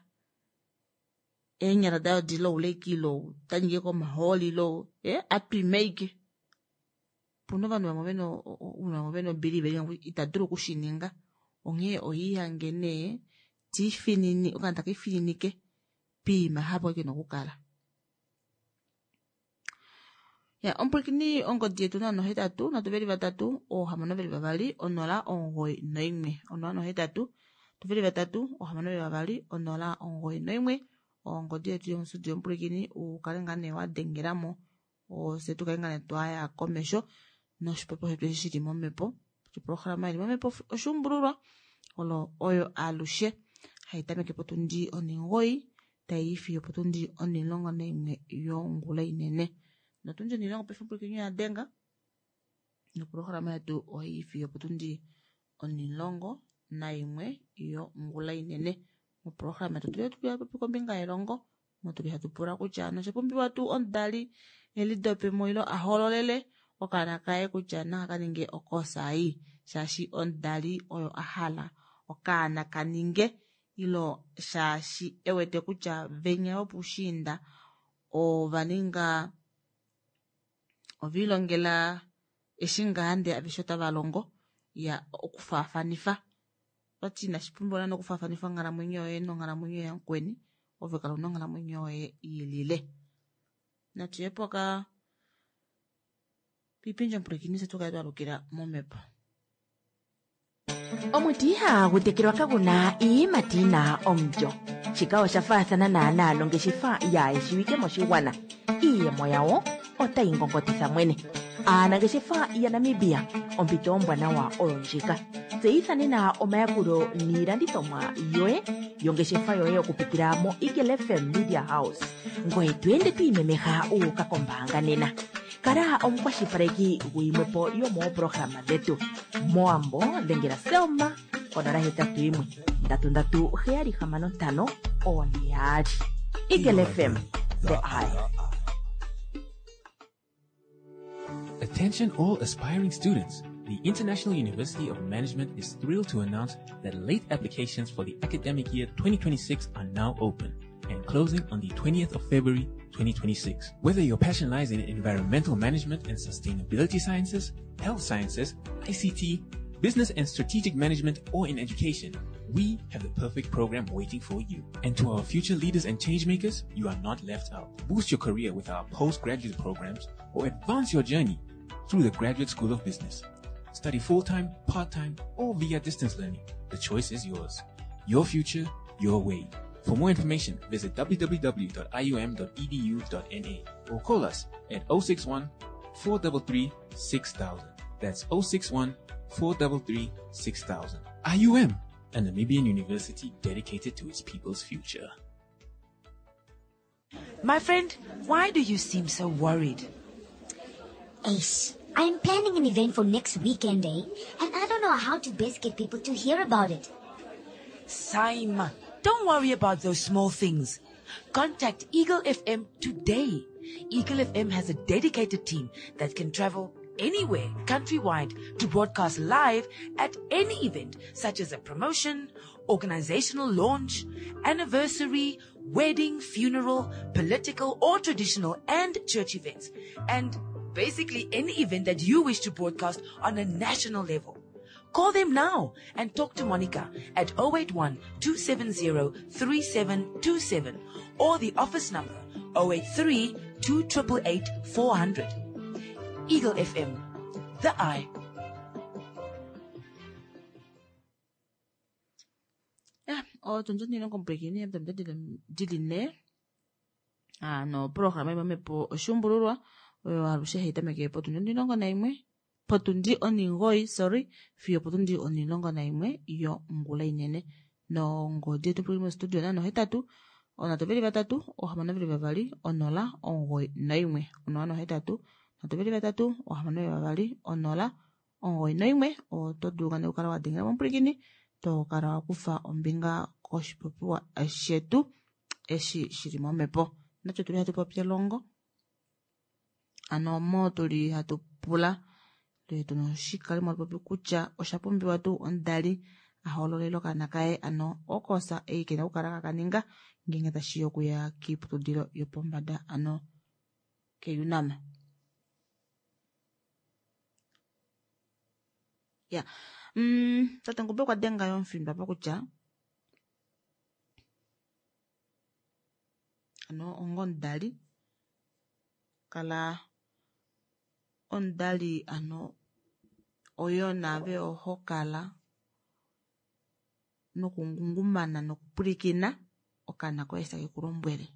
eenyala dayo diloulekilo tanyike komahooli lo eh atwimeike puna ovanhu vamwe vena ounona vamwe vena ombili velinga ita dulu okushininga onghee oihange nee tiifinini okaana takifininike piima hapo kena okukala. Ya omupwilikini ongodi yetu nano hetatu nhatu veli vatatu oohamano veli vavali onola omugoyi noimwe onola nohetatu tuveli vatatu oohamano veli vavali onola omugoyi noimwe ongodi yetu yomustudio omupwilikini ukale ngaa nee wadengelamo ofye tukale ngaa nee twaya komesho noshipopiwa shetu eshi shili momhepo oprograma ili momhepo oshuumbululwa olo oyo alushe haitameke potundi onhingoyi taiyi fiyo opotundi onhilongo naimwe yongula inene notundi onhilongo paife omupwilikini oyadenga noprograma yetu ohaiyi fiyo opotundi onhilongo naimwe yongula inene. Moprograma yetu otuli hatu popi kombinga yelongo motuli hatu pula kutya noshapumbiwa tuu omudali elidopemo ilo ahololele okaana kaye kutya naka kaninge okosa ei shaashi omudali oyo ahala okaana kaninge ilo shaashi ewete kutya venya vopushiinda ovaninga oviilongela eshi ngaa ndee aveshe otava longo ya okufaafanifa otati inashipumbiwa naana okufaafanifa onghalamwenyo yoye nonghalamwenyo yamukweni ove kala una onghalamwenyo yoye iilile. Natuye poka piipindji omupwilikini fye tukale twalukila momhepo. Omuti ihagu tekelwa kaguna iiyimati yina omulyo. Shika osha faathana naanaa nongeshefa yaayeshiwike moshigwana. Iiyemo yawo otayi ngongotitha mwene. Aanangeshefa yaNamibia, ompito ombwanawa oyo ndjika. Tseyitha nena omayakulo niilandithomwa yoye yongeshefa yoye okupitila mo Eagle F M Media House. Ngoye to ende to imemeha u uka kombaanga nena. Kala omukwashilipaleki guyimwepo yomooprograma dhetu. Moambo dhengela Selma konola hetatu yimwe ndatu ndatu heyali hamano ntano one yaali. Eagle F M, the eye. Attention all aspiring students. The International University of Management is thrilled to announce that late applications for the academic year twenty twenty-six are now open and closing on the twentieth of February twenty twenty-six. Whether your passion lies in environmental management and sustainability sciences, health sciences, I C T, business and strategic management, or in education, we have the perfect program waiting for you. And to our future leaders and changemakers, you are not left out. Boost your career with our postgraduate programs or advance your journey through the Graduate School of Business. Study full-time, part-time, or via distance learning. The choice is yours. Your future, your way. For more information, visit w w w dot i u m dot e d u dot n a or call us at oh six one, four three three, six thousand. That's oh six one, four three three, six thousand. I U M, a Namibian university dedicated to its people's future. My friend, why do you seem so worried? Ace, I'm planning an event for next weekend, eh? And I don't know how to best get people to hear about it. Saima, don't worry about those small things. Contact Eagle F M today. Eagle F M has a dedicated team that can travel anywhere countrywide to broadcast live at any event, such as a promotion, organizational launch, anniversary, wedding, funeral, political or traditional and church events, and basically any event that you wish to broadcast on a national level. Call them now and talk to Monica at oh eight one, two seven zero, three seven two seven or the office number oh eight three, two triple eight, four hundred. Eagle F M, the eye. Yeah, oh, tunjo nilo komplikini, mtamta dili ne. Ah, no, programa imamepo oshumbululwa, oyo alushe haitameke potundi onilongo naimwe, potundi oningoi, sorry, fiyo potundi onilongo naimwe yo ngula inene. Nongodi yetu puli mo studio nano hetatu, Onhatu veli vatatu oohamano veli vavali onola omugoyi naimwe onola nohetatu nhatu veli vatatu oohamano veli vavali onola omugoyi naimwe oto dulu nee okukala wadengela momupwilikini tokala wakufa ombinga koshipopiwa shetu eshi shili momhepo. Natye tuli hatu popi elongo ano omo tuli hatu pula tuna oshikalimo popi kutya osha pumbiwa tuu omudali ahoololele okaana kaye ano okosa ei kena okukala kakaninga ngeenge tashiya okuya kiiputudilo yopombada ano ke-UNAM. Ya, mm, tate Ngube okwa denga yo omufindo apa kutya ano onga omudali kala omudali ano oyo naave oho kala nokungungumana nokupwilikina okaana koye eshi take ku lombwele.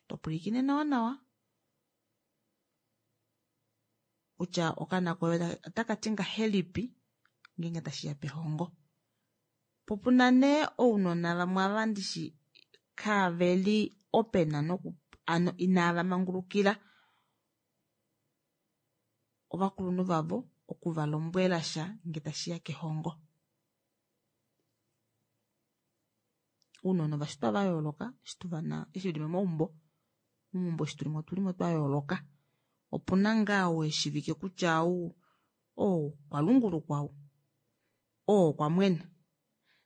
Topwilikine nawa nawa kutya okaana koye otaka ti ngahelipi ngeenge tashiya pehongo. Po puna nee ounona vamwe ava ndishi kaveli open noku ano inava mangulukila ovakulunhu vavo okuvalombwela sha nge tashiya kehongo. Ounona ovashitwa va yooloka eshi tuvana eshi veli momaumbo momaumbo eshi tulimo otulimo twa yooloka. Opuna ngaa weshivike kutya ou oo okwa lungulukwa ou oo okwa mwena.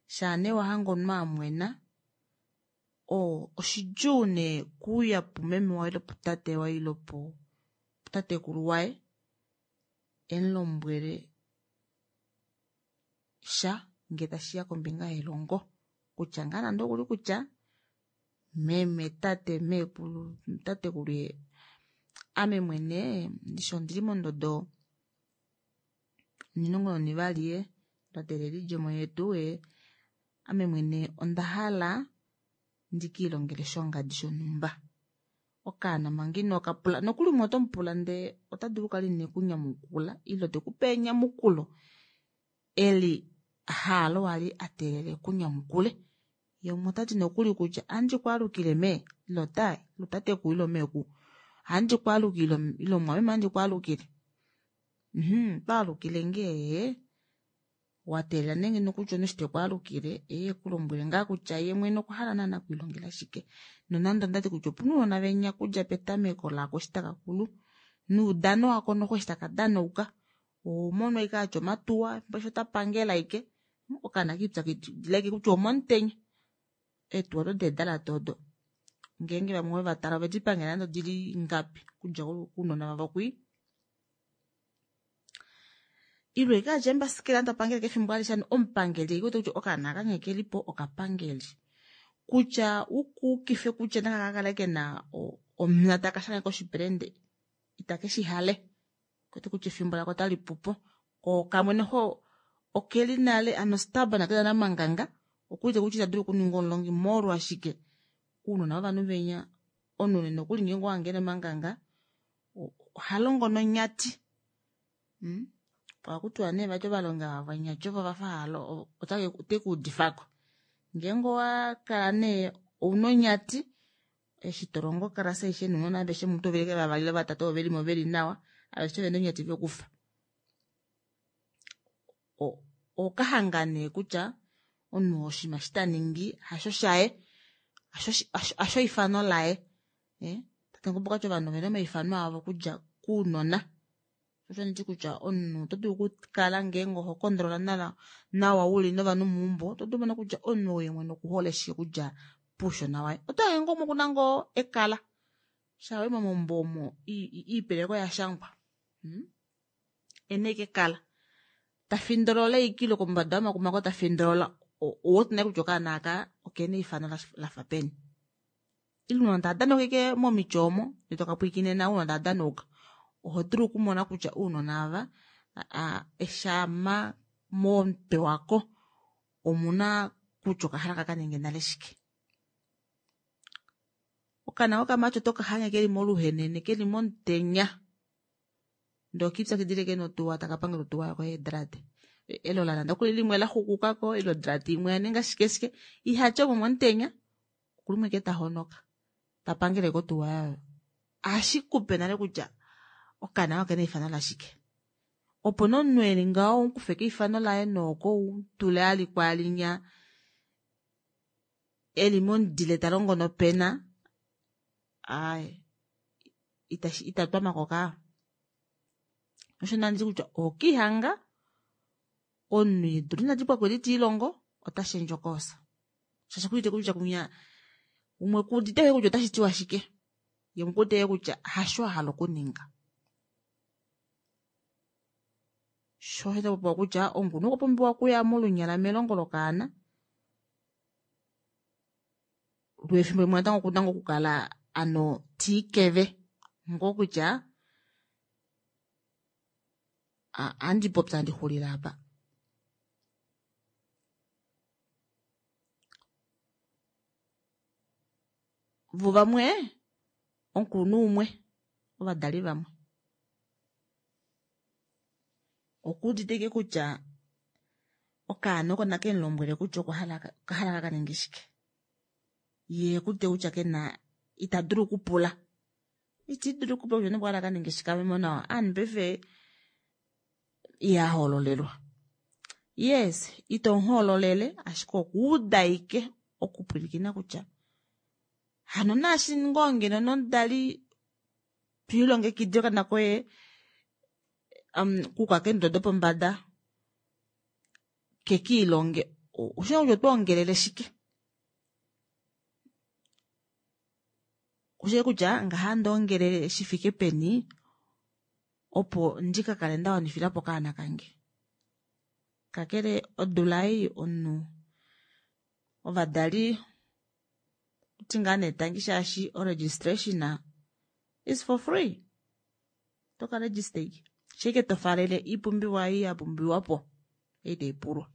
Shaa nee wahanga omunhu amwena oo oshidjuu nee kuuya pumeme waye ile putate waye ile putatekulu waye emulombwele sha nge tashiya kombinga yelongo kutya ngaa nande okuli kutya meme tate meekulu tatekulu ame mwene ndishi ondili mondodo onimulongo nonivali twa teelela oidjemo yetu ame mwene onda hala ndikiilongele shongadi shonhumba. Okaana manga inokapula nokuli umwe otomupula ndee ota dulu okukala inekunyamukula ile tekupe enyamukulo eli haalo wali ateelela ekunyamukule. Ye umwe otati nokuli kutya ohandi kwaalukile mee ile ota ile tatekulu ile meekulu ohandi kwaalukile ile mumwameme ohandi kwaalukile. Mhm, twaalukile ngee wateelela nee ngeno kutya omunhu eshi tekwaalukile eye ekulombwele ngaa kutya ye mwene okwa hala naana okwiilongela shike. Nonande ondati kutya opuna ounona venya okudja petameko lako eshi taka kulu noudano wako noxo eshi taka danauka ohomono ashike atya omatuwa efimbo ota pangele ashike okaana kiipyakidila ashike kutya omomutenya eetuwa odo deedalate odo ngeenge vamwe ovevatala ovedi pangela nande odili ngapi okudja kounona vavo kwii. Ile ashike atya eembasikela tapangele efimbo alishe hano omupangeli ekuwete kutya okaana aka nghee kelipo okapangeli. Kutya ukuukife kutya nakakakale kena omuna taka shange koshipelende itake shihale okuwete kutya efimbo lako otali pupo ko kamwe noxo okeli nale ano stubborn kena namanganga okuwete kutya ita dulu okuninga omulongi molwashike ounona vovanhu venya omunhu nokuli ngeenge owahange ena omanganga ohalongo nonyati. Mm? Ohakutiwa nee vati ovalongi ava vonyati ovo vafa halo otekuudifako. Ngeenge owakala nee ouna onyati eshi tolongo okalasa aishe nounona aveshe mutu oveli vavali ile vatatu ovo velimo veli nawa aveshe ovena onyati vekufa. Okahanga nee kutya omunhu oshinima eshi taningi hasho shaye hasho eifano laye. Tate Ngube okwati ovanhu ovena omaifano avo okudja kounona. Osho nditi kutya omunhu oto dulu okukala ngeenge oho kondolola nawa uli novanhu meumbo oto dulu okumona kutya omunhu ou ye mwene okuhole shike okudja poushona waye. Oto hange ngoo umwe okuna ngoo ekala shaa wayi momaumbo omo iipeleki oya shangwa. Ena ashike ekala tafindolola ashike ile kombada yomakuma oko tafindolola ouwete nale kutya okaana aka okena eifano lafa peni. Ile ounona tava danauka ashike momiti omo ndee tokapwilikine nawa ounona tava danauka oho dulu okumona kutya ounona ava eshama momutwe wako omuna kutya okahala kakaninge nale shike. Okaana kokamati oto kahange keli moluhenene keli momutenya ndee okiipyakidila ashike notuwa taka pangele otuwa yako yeedrate. Elola nande okuli limwe laxukukako ile odrati imwe yaninga shike shike ihati omo momutenya okulimwe ke tahonoka tapangele kotuwa yayo ashikupe nale kutya okaana okena eifano lashike opo nomunhu eli ngaho umukufe keifano laye nooko utule ali kwalinya eli momudile talongo nopena ai itatwamako kaa osho nanditi kutya okihanga omunhu eedula inadi pwako edi tiilongo otashendje okoosa shaashi okuudite kutya kunya umwe kuudite kutya otashi tiwa shike ye umwe okuudite kutya hasho ahala okuninga sho osho tapopiwa kutya omukulunhu okwa pumbiwa okuya molunyala melongo lokaana lwefimbo limwe natango okuna ngoo okukala ano tiikeve ngoo kutya andipopya andixulile apa. Vo vamwe omukulunhu umwe ovadali vamwe okuudite kutya okaana oko nakemulombwele kutya okwahala okahala kakaninge shike yee okuudite kutya kena ita dulu okupula itidulu okupula kutya okwahala kaninge shike ame nawa ovanhu paife ihahoololelwa yes itomuhoololele ashike okuuda ashike okupwilikina kutya hano naashi ngoo ngeno nomudali twiilongekidile okaana koye um, kuuka keendodo dopombada kekiilonge oshina kutya otwoongelele shike oshili kutya ngaha ndoongelele shifike peni opo ndikakale ndawanifilapo okaana kange kakele odula ei omunhu ovadali oti ngaa nee tangi shaashi oregistration is for free toka register ike shike tofalele iipumbiwa ei yapumbiwapo ei taipulwa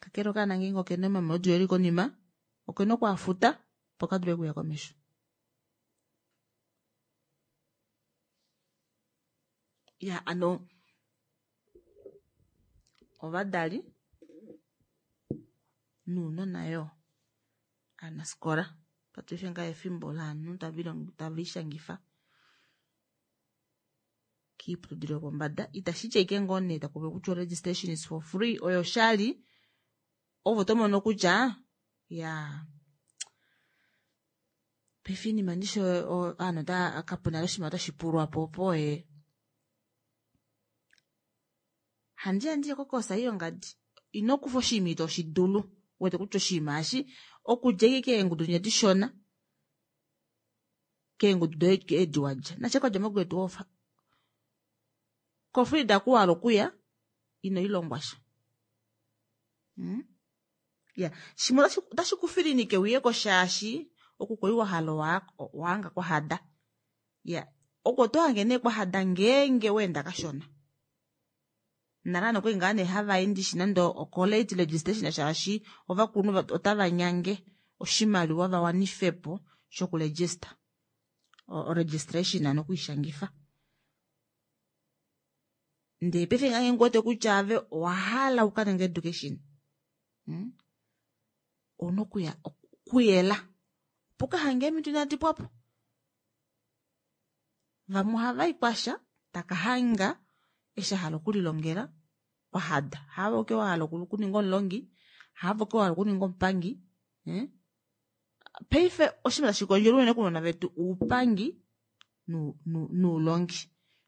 kakele okaana ngeenge okena omamodi eli konima okena okwaafuta opo kadule okuya komesho ya ano ovadali nounona yoo aanafikola paife ngaa efimbo lovanhu taviishangifa kiiputudilo yopombada itashiti ashike ngoo nee takupopiwa kutya registration is for free oyo shali ovo tomono kutya ya paife iinima ndishi ovanhu kapuna oshinima otashi pulwapo opo ee handiya ndiye kokosa yongadi ino kufa oshinima ito shidulu wete kutya oshinima eshi okudja ashike keengudu dinya dishona keengudu doye edi wadja nashe kwadja mograde twelve kofrida kuwahala okuya ino ilongwasha hmm? Ya shimwe otashi kufilinike uyeko shaashi oku kwali wahala wahanga kwahada ya oko otohange nee kwahada ngeenge weenda kashona nale nokwali ngaa nee hava ndishi nande ocolate registration shaashi ovakulunhu otava nyange oshimaliwa vawanifepo shokuregister oregistration nokwiishangifa ndee paife ngeenge uwete kutya ave owahala ukaninge education hmm? Ouna okuya okuyela opo ukahange eemhito inadi pwapo vamwe ohavai kwasha taka hanga eshi ahala okulilongela kwahada haave wahala okuninga omulongi haave wahala okuninga omupangi eh? Paife oshinima tashi kondjelwa unene kounona vetu oupangi noulongi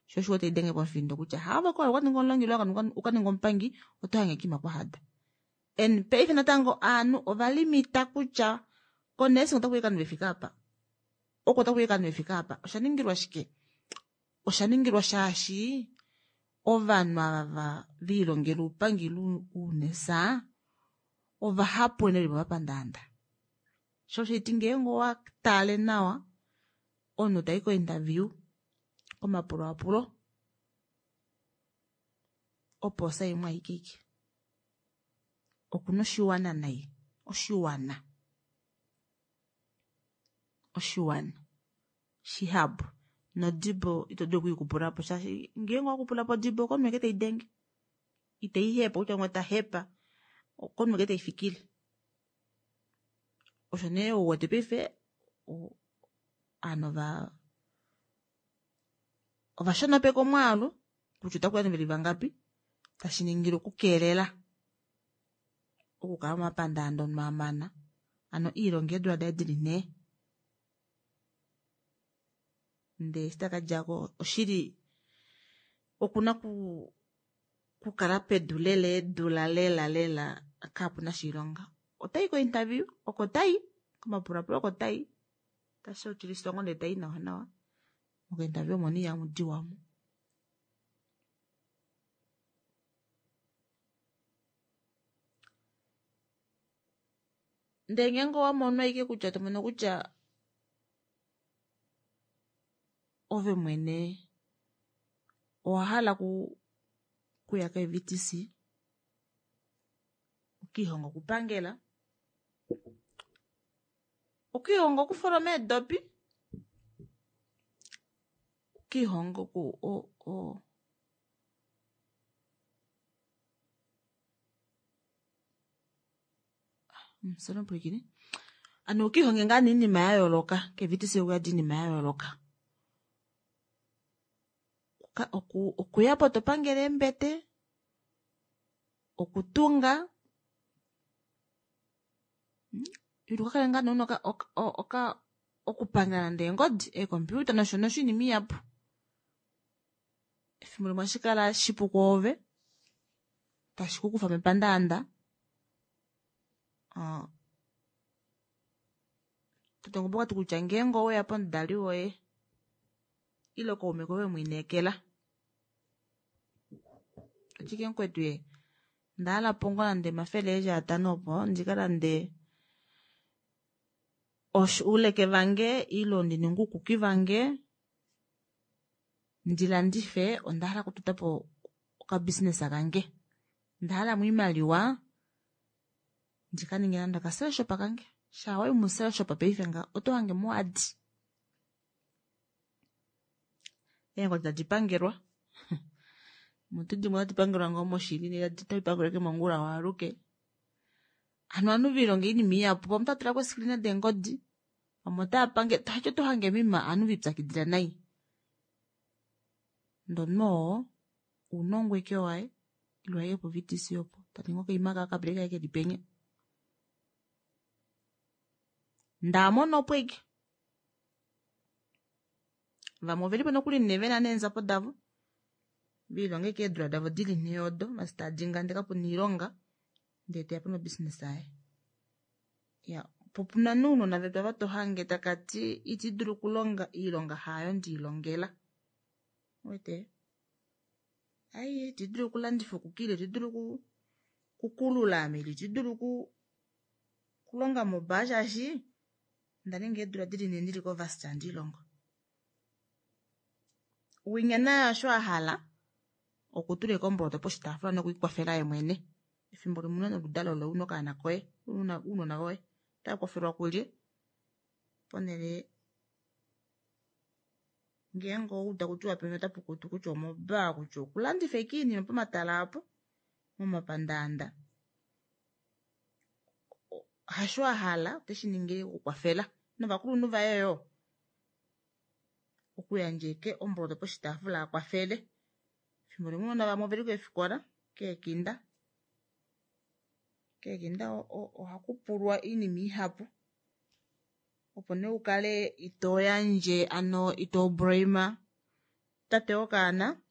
sho osho taidenge pomufindo kutya haave wahala okukaninga omulongi ile ukaninga omupangi oto hange kiima kwahada and paife natango ovanhu ovalimita kutya konursing otakuyi ovanhu vefike apa oko otakuyi ovanhu vefike apa oshaningilwa shike oshaningilwa shaashi ovanhu ava viilongela oupangi ile ounesa ovahapu unene veli momapandaanda sho osho haiti ngeenge owatale nawa omunhu tayi ko interview komapulaapulo opoosa imwe aike ike okuna oshiwana nai oshiwana oshiwana shihapu Nodibo ito dulu okwiikupula po shaashi ngeenge owakupula po odibo okomunhu eke teidenge itaihepa kutya umwe tahepa okomunhu eke taifikile. Osho nee ouwete paife ovanhu ova ovashonopeka omwaalu kutya otakuya nee veli vangapi tashi ningile okukeelela okukala momapandaanda omunhu amana hano iilonga eedula daye dili nhee ndee eshi takadjako oshili okuna okukala pedu lela eedula lela lela kapuna oshilonga. Otayi ko interview oko tayi komapulapulo oko tayi tashotiliswa ngoo ndee tayi nawa nawa moka interview omo nee ihamudiwa omo. Ndee ngeenge owamono ashike kutya tomono kutya ove mwene owahala okuya ko V T C ukiihonge okupangela, ukiihonge okufoloma eedopi, ukiihonge oku o hano ukiihonge ngaa nee oinima yayooloka ke V T C okuyadi oinima yayooloka. Okuyapo topangele eembete, okutunga, ile ukakale ngaa nee una oka okupangela nande eengodi eecomputer nosho nosho oinima ihapu. Efimbo limwe ohashikala shipu kwoove tashi kukufa mepandaanda tate Ngombe okwati kutya ngeenge oweya pomudali woye ile kaume koye wemwiineekela ashike mukwetu ye ndahala po ngoo nande omafele eli atano opo ndikalande ouleke vange ile ndininge uukuki vange ndilandife ondahala okutotapo okabusiness kange ondahalamo oimaliwa ndikaninge nande okacellshop kange shaa wayi mucellshop paife ngaha oto hange muyadi eengodi tadi pangelwa mutu dimwe otadi pangelwa ngoo moshili otadi pangelwa ashike mongula waaluke. Hano ovanhu velihonga oinima ihapu vamwe otaatulako eescreen deengodi vamwe otaapangele tashiti otohange moima ovanhu velipyakidila nai. Ndee omunhu oo ounongo ashike waye ile aye po V T C opo taningi okaima kaye okabreak kaye keli penya ndee amono opo ashike. Vamwe ovelipo nokuli nee vena neendjapo davo velihonga ashike eedula davo dili nhee odo masitadinga ndee kapuna oilonga ndee teyapo nobusiness yaye. Iya po opuna nee ounona vetu ava tohange takati itidulu okulonga oilonga haayo ndelilongela ouwete ai itidulu okulandifa okuki ile itidulu okukulula ame ile itidulu okulonga mobaa shaashi ondaninga eedula dili nhee ndili kovarsity handiilongo. Winya naye osho ahala okutula ashike omboloto poshitaafula nokwiikwafela yemwene. Efimbo limwe ouna noludalo loye una okaana koye ounona voye otava kulye ponele ngeenge owaudu takutiwa penya otapukutu kutya omobaa kutya okulandifa ashike oinima pomatala aapo momapandaanda hasho ahala oteshiningi okukwafela novakulunhu vaye yoo okuyandja ashike omboloto poshitaafula akwafele. Efimbo limwe ounona vamwe oveli keefikola keekinda, keekinda ohakupulwa oinima ihapu opo nee ukale itoyandje hano ito blame tate wokaana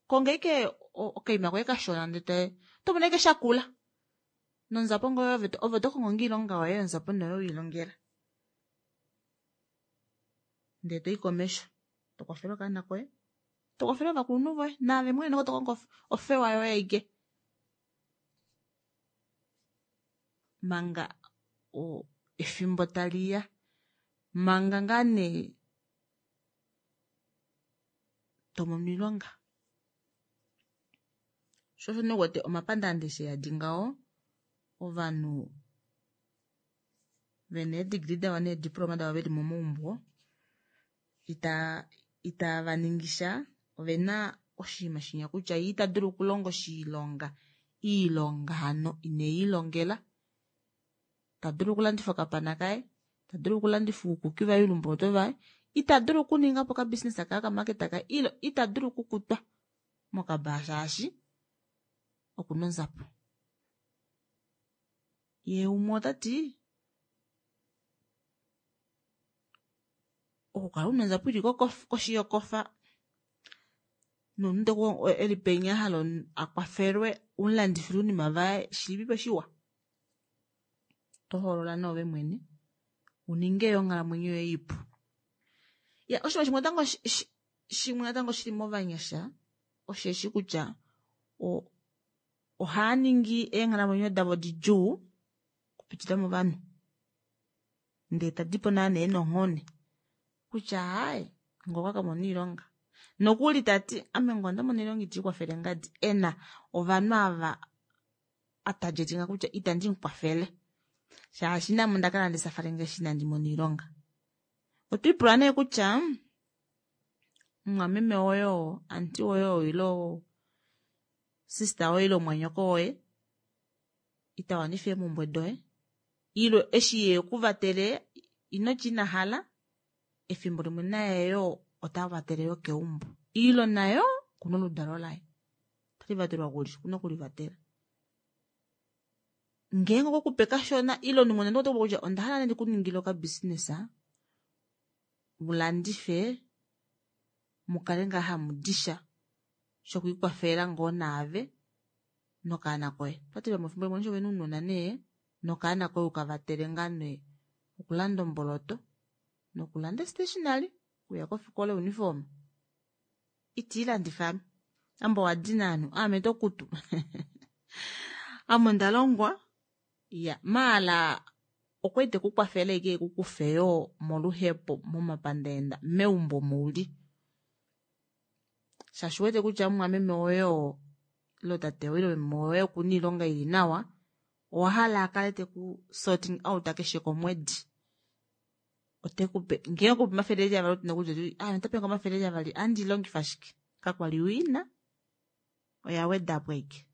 konga ashike okaima koye kashona ndee otomono ashike shakula nonzapo ngoye ove otokongo ngoo oilonga yoye onzapo nee oyo welilongela ndee toyi komesho tokwafele okaana koye tokwafele ovakulunhu voye naave mwene tokongo ofewa yoye aike manga efimbo taliya manga ngaa nee tomono oilonga. Sho osho nee uwete omapandaanda eshi eyadi ngaho ovanhu Vena eedegree davo neediploma davo veli momaumbo ita itava ningi sha, ovena oshinima shinya kutya ye ita dulu okulonga oshilonga iilonga hano ineyi longela. Ta dulu okulandifa okapana kaye, ta dulu okulandifa uukuki vaye uulumboto vaye, ita dulu okuninga po okabusiness kaye okamaketa kaye, ile ita dulu okukutwa mokabaa shaashi okuna onzapo. Ye umwe otati okukala una onzapo ili koshi yokofa nomunhu eli penya ahala akwafelwe umulandifile oinima vaye shilipipo shiwa. Tohoolola nee ove mwene uninge yo onghalamwenyo yoye ipu. Ya oshinima shimwe natango shimwe natango shili movanyasha osheshi kutya ohaa ningi eenghalamwenyo davo didjuu okupitila movanhu, ndee tadipo naanee nonghone kutya hayi ngoka kamona oilonga nokuli tati ame ngoo ndamona oilonga iti kwafele ngadi ena ovanhu ava atajetinga kutya itandi mukwafele shaashi name onda kala ndisafale ngeshi inandi mona oilonga. Otwiipula nee kutya mumwameme woye oo, aunty woye oo ile sister woye ile mumwanyoko woye ita wanifa eemhumbwe doye ile eshi ye kuvatele inoti ina hala efimbo limwe naye yo ota vatele yo keumbo ile nayo okuna oludalo laye otali vatelwa kuli okuna okulivatela. Ngeenge okwe kupe kashona ile omunhu nande oto kutya onda hala nee ndikuningile okabusiness mulandife mukale ngaa hamudisha shokwiikwafela ngoo naave nokaana koye. Otati vamwe efimbo limwe ovena ounona nee nokaana koye ukavatele ngaa nee okulanda omboloto nokulanda stationery okuya kofikola uniform itiilandifa ame ame owadina ovanhu aame tokutu ame onda longwa ya maala okwali tekukwafele ashike ekukufe yoo moluhepo momapandaenda meumbo mouli shaashi uwete kutya mumwameme woye oo ile tate woye ile meme woye okuna oilonga ili nawa owahala akale teku sorting out keshe komwedi otekupe ngee okupe omafele eli avali otina kutya ame otapenga omafele eli avali andi longifa shike kakwali uina oya wedapo ashike.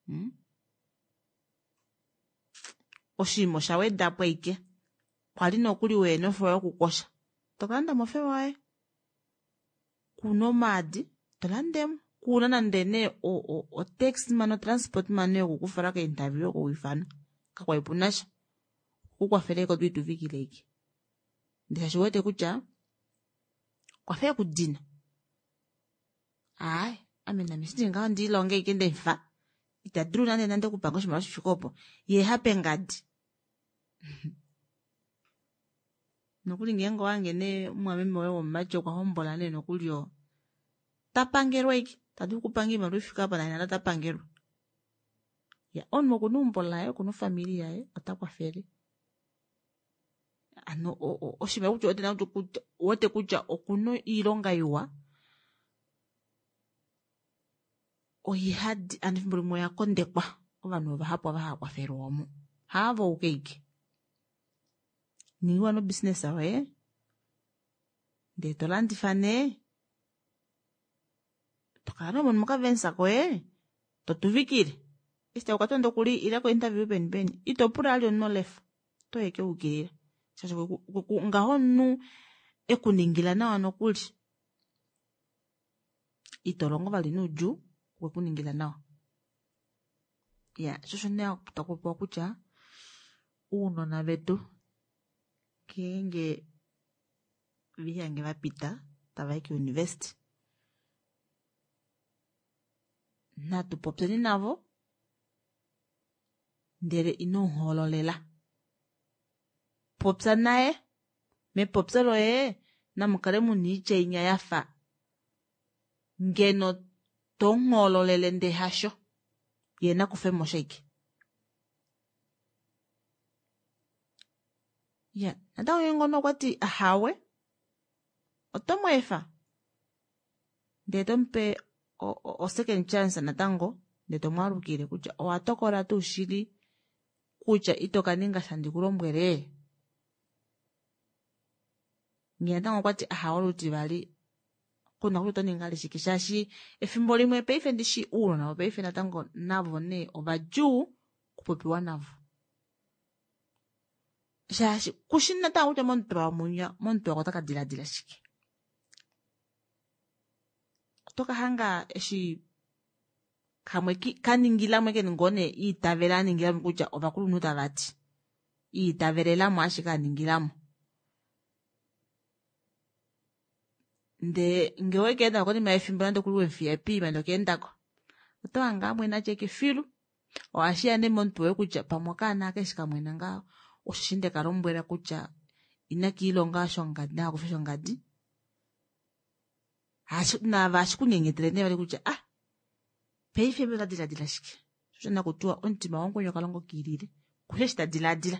Hmm? Oshinima osha wedapo ashike kwali nokuli weena ofewa yokukosha tokalanda mofewa yoye, kuna omaadi tolandemo, kuna nande nee otaxi mani otransport mani yokukufala keinterview yokuwifanwa kakwali punasha okukwafela ashike otwiituvikile ashike ndee shaashi uwete kutya okwafa ekudina aaye ame name shindi ngaho ndiilonge ashike ndemufa ita dulu nande nande okupanga oshimaliwa shifike opo ye hape ngadi. Nokuli ngeenge owange nee mumwameme woye womumati okwa hombola nee nokuli oo tapangelwa ashike tadulu okupanga oimaliwa ifike apa naye nale tapangelwa. Ya omunhu okuna eumbo laye okuna ofamili yaye ota kwafele ano oshimaliwa kutya uwete kutya okuna oilonga iwa oihadi ano efimbo limwe oya kondekwa ovanhu vahapu ava hava kwafelwa omo haavo uke ike ningiwa nobusiness yoye ndee tolandifa nee tokala nee mono mokavensa koye totuvikile eshi taku nokuli ila ko interview peni peni ito pula ali omunhu olefa otoyi ashike waukilila shaashi ngaho omunhu ekuningila nawa nokuli ito longo vali noudjuu okwekuningila nawa. Ya sho osho nee takupopiwa kutya uunona vetu ngeenge vihange vapita tavayi kouniversity natu popyeni navo ndele ino muhoololela popya naye mepopyo loye namukale muna oitya inya yafa ngeno tomuhoololele ndee hasho ye nakufemo ashike. Ya natango ngeenge omunhu okwati ahawe oto mweefa ndee tomupe o second chance natango ndee tomwaalukile kutya owa tokola tuu shili Kutya ito ka ninga sha ndi ku lombwele? Ngee natango okwati ahawe olutivali, kuna kutya oto ningi ali shike shaashi efimbo limwe paife ndishi uunona wopaife natango navo nee ovadjuu okupopiwa navo. Shaashi kushi natango kutya momutwe wamunya momutwe wako otaka diladila shike. Oto ka hanga eshi kamwe kaningilamo ke ngoo nee iitavela aningilamo kutya ovakulunhu tava ti. Iitavelelamo ashike aningilamo. Ndee ngee owekeendako konima yefimbo nande okuli wemufiya piima ndee okeendako oto hange amwena atya ashike filu. Ohashiya nee momutwe woye kutya pamwe okaana aka eshi kamwena ngaho osheshi ndeka lombwela kutya inakiilonga shongadi nakakufe shongadi. Naave ohashi kunyenyetele nee vali kutya ah paife mbela ota diladila shike. Sho nakutiwa omutima wamukweni okalongo kiilile kushi eshi ta diladila.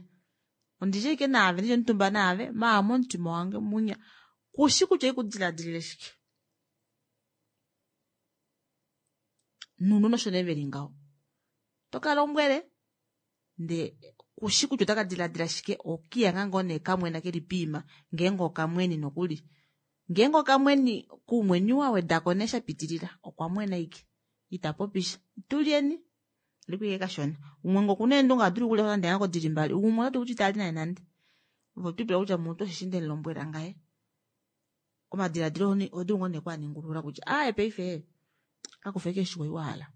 Ondishe ashike naave ndili omutumba naave maa momutima wange munya kushi kutya oikudiladilile shike. Nounona osho nee veli ngaho. Toka lombwele ndee kushi kutya otaka diladila shike okiyanga ngoo nee kamwena keli piima ngeenge okamweni nokuli. Ngeenge okamweni kuumweni wawedako nee shapitilila okwa mwena ashike ita popisha. Tulyeni liko ashike kashona. Umwe ngee okuna eendunge ohadulu okulya nande ngoo dili mbali, umwe ota dulu kutya itali naye nande. Ove otwiipula kutya mutu osheshi ndemulombwela ngaye. Omadiladilo ohodulu ngoo nee okwaaningulula kutya aaye paife kakufa ashike eshi wa hala.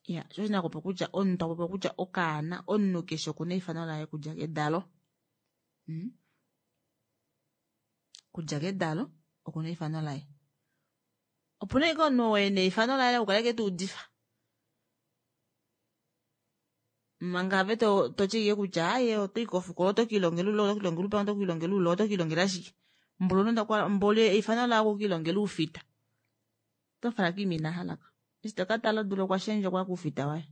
Iya, sho osho nakupa kutya omunhu tapopiwa kutya okaana omunhu keshe okuna eifano laye okudja kedalo. Hmm? Kudja kedalo okuna eifano laye. Opuna ashike omunhu oo ena eifano laye lokukala ashike tuudifa. Manga ave to toti ashike kutya aaye otoyi kofikola oto kiilongela oule oto kiilongela oupangi oto kiilongela oule oto kiilongela shike. Mboli mboli eifano laye okukiilongela oufita. Oto mufala kiima ina halako. Eshi toka tala odula okwa shendja okwaya koufita waye.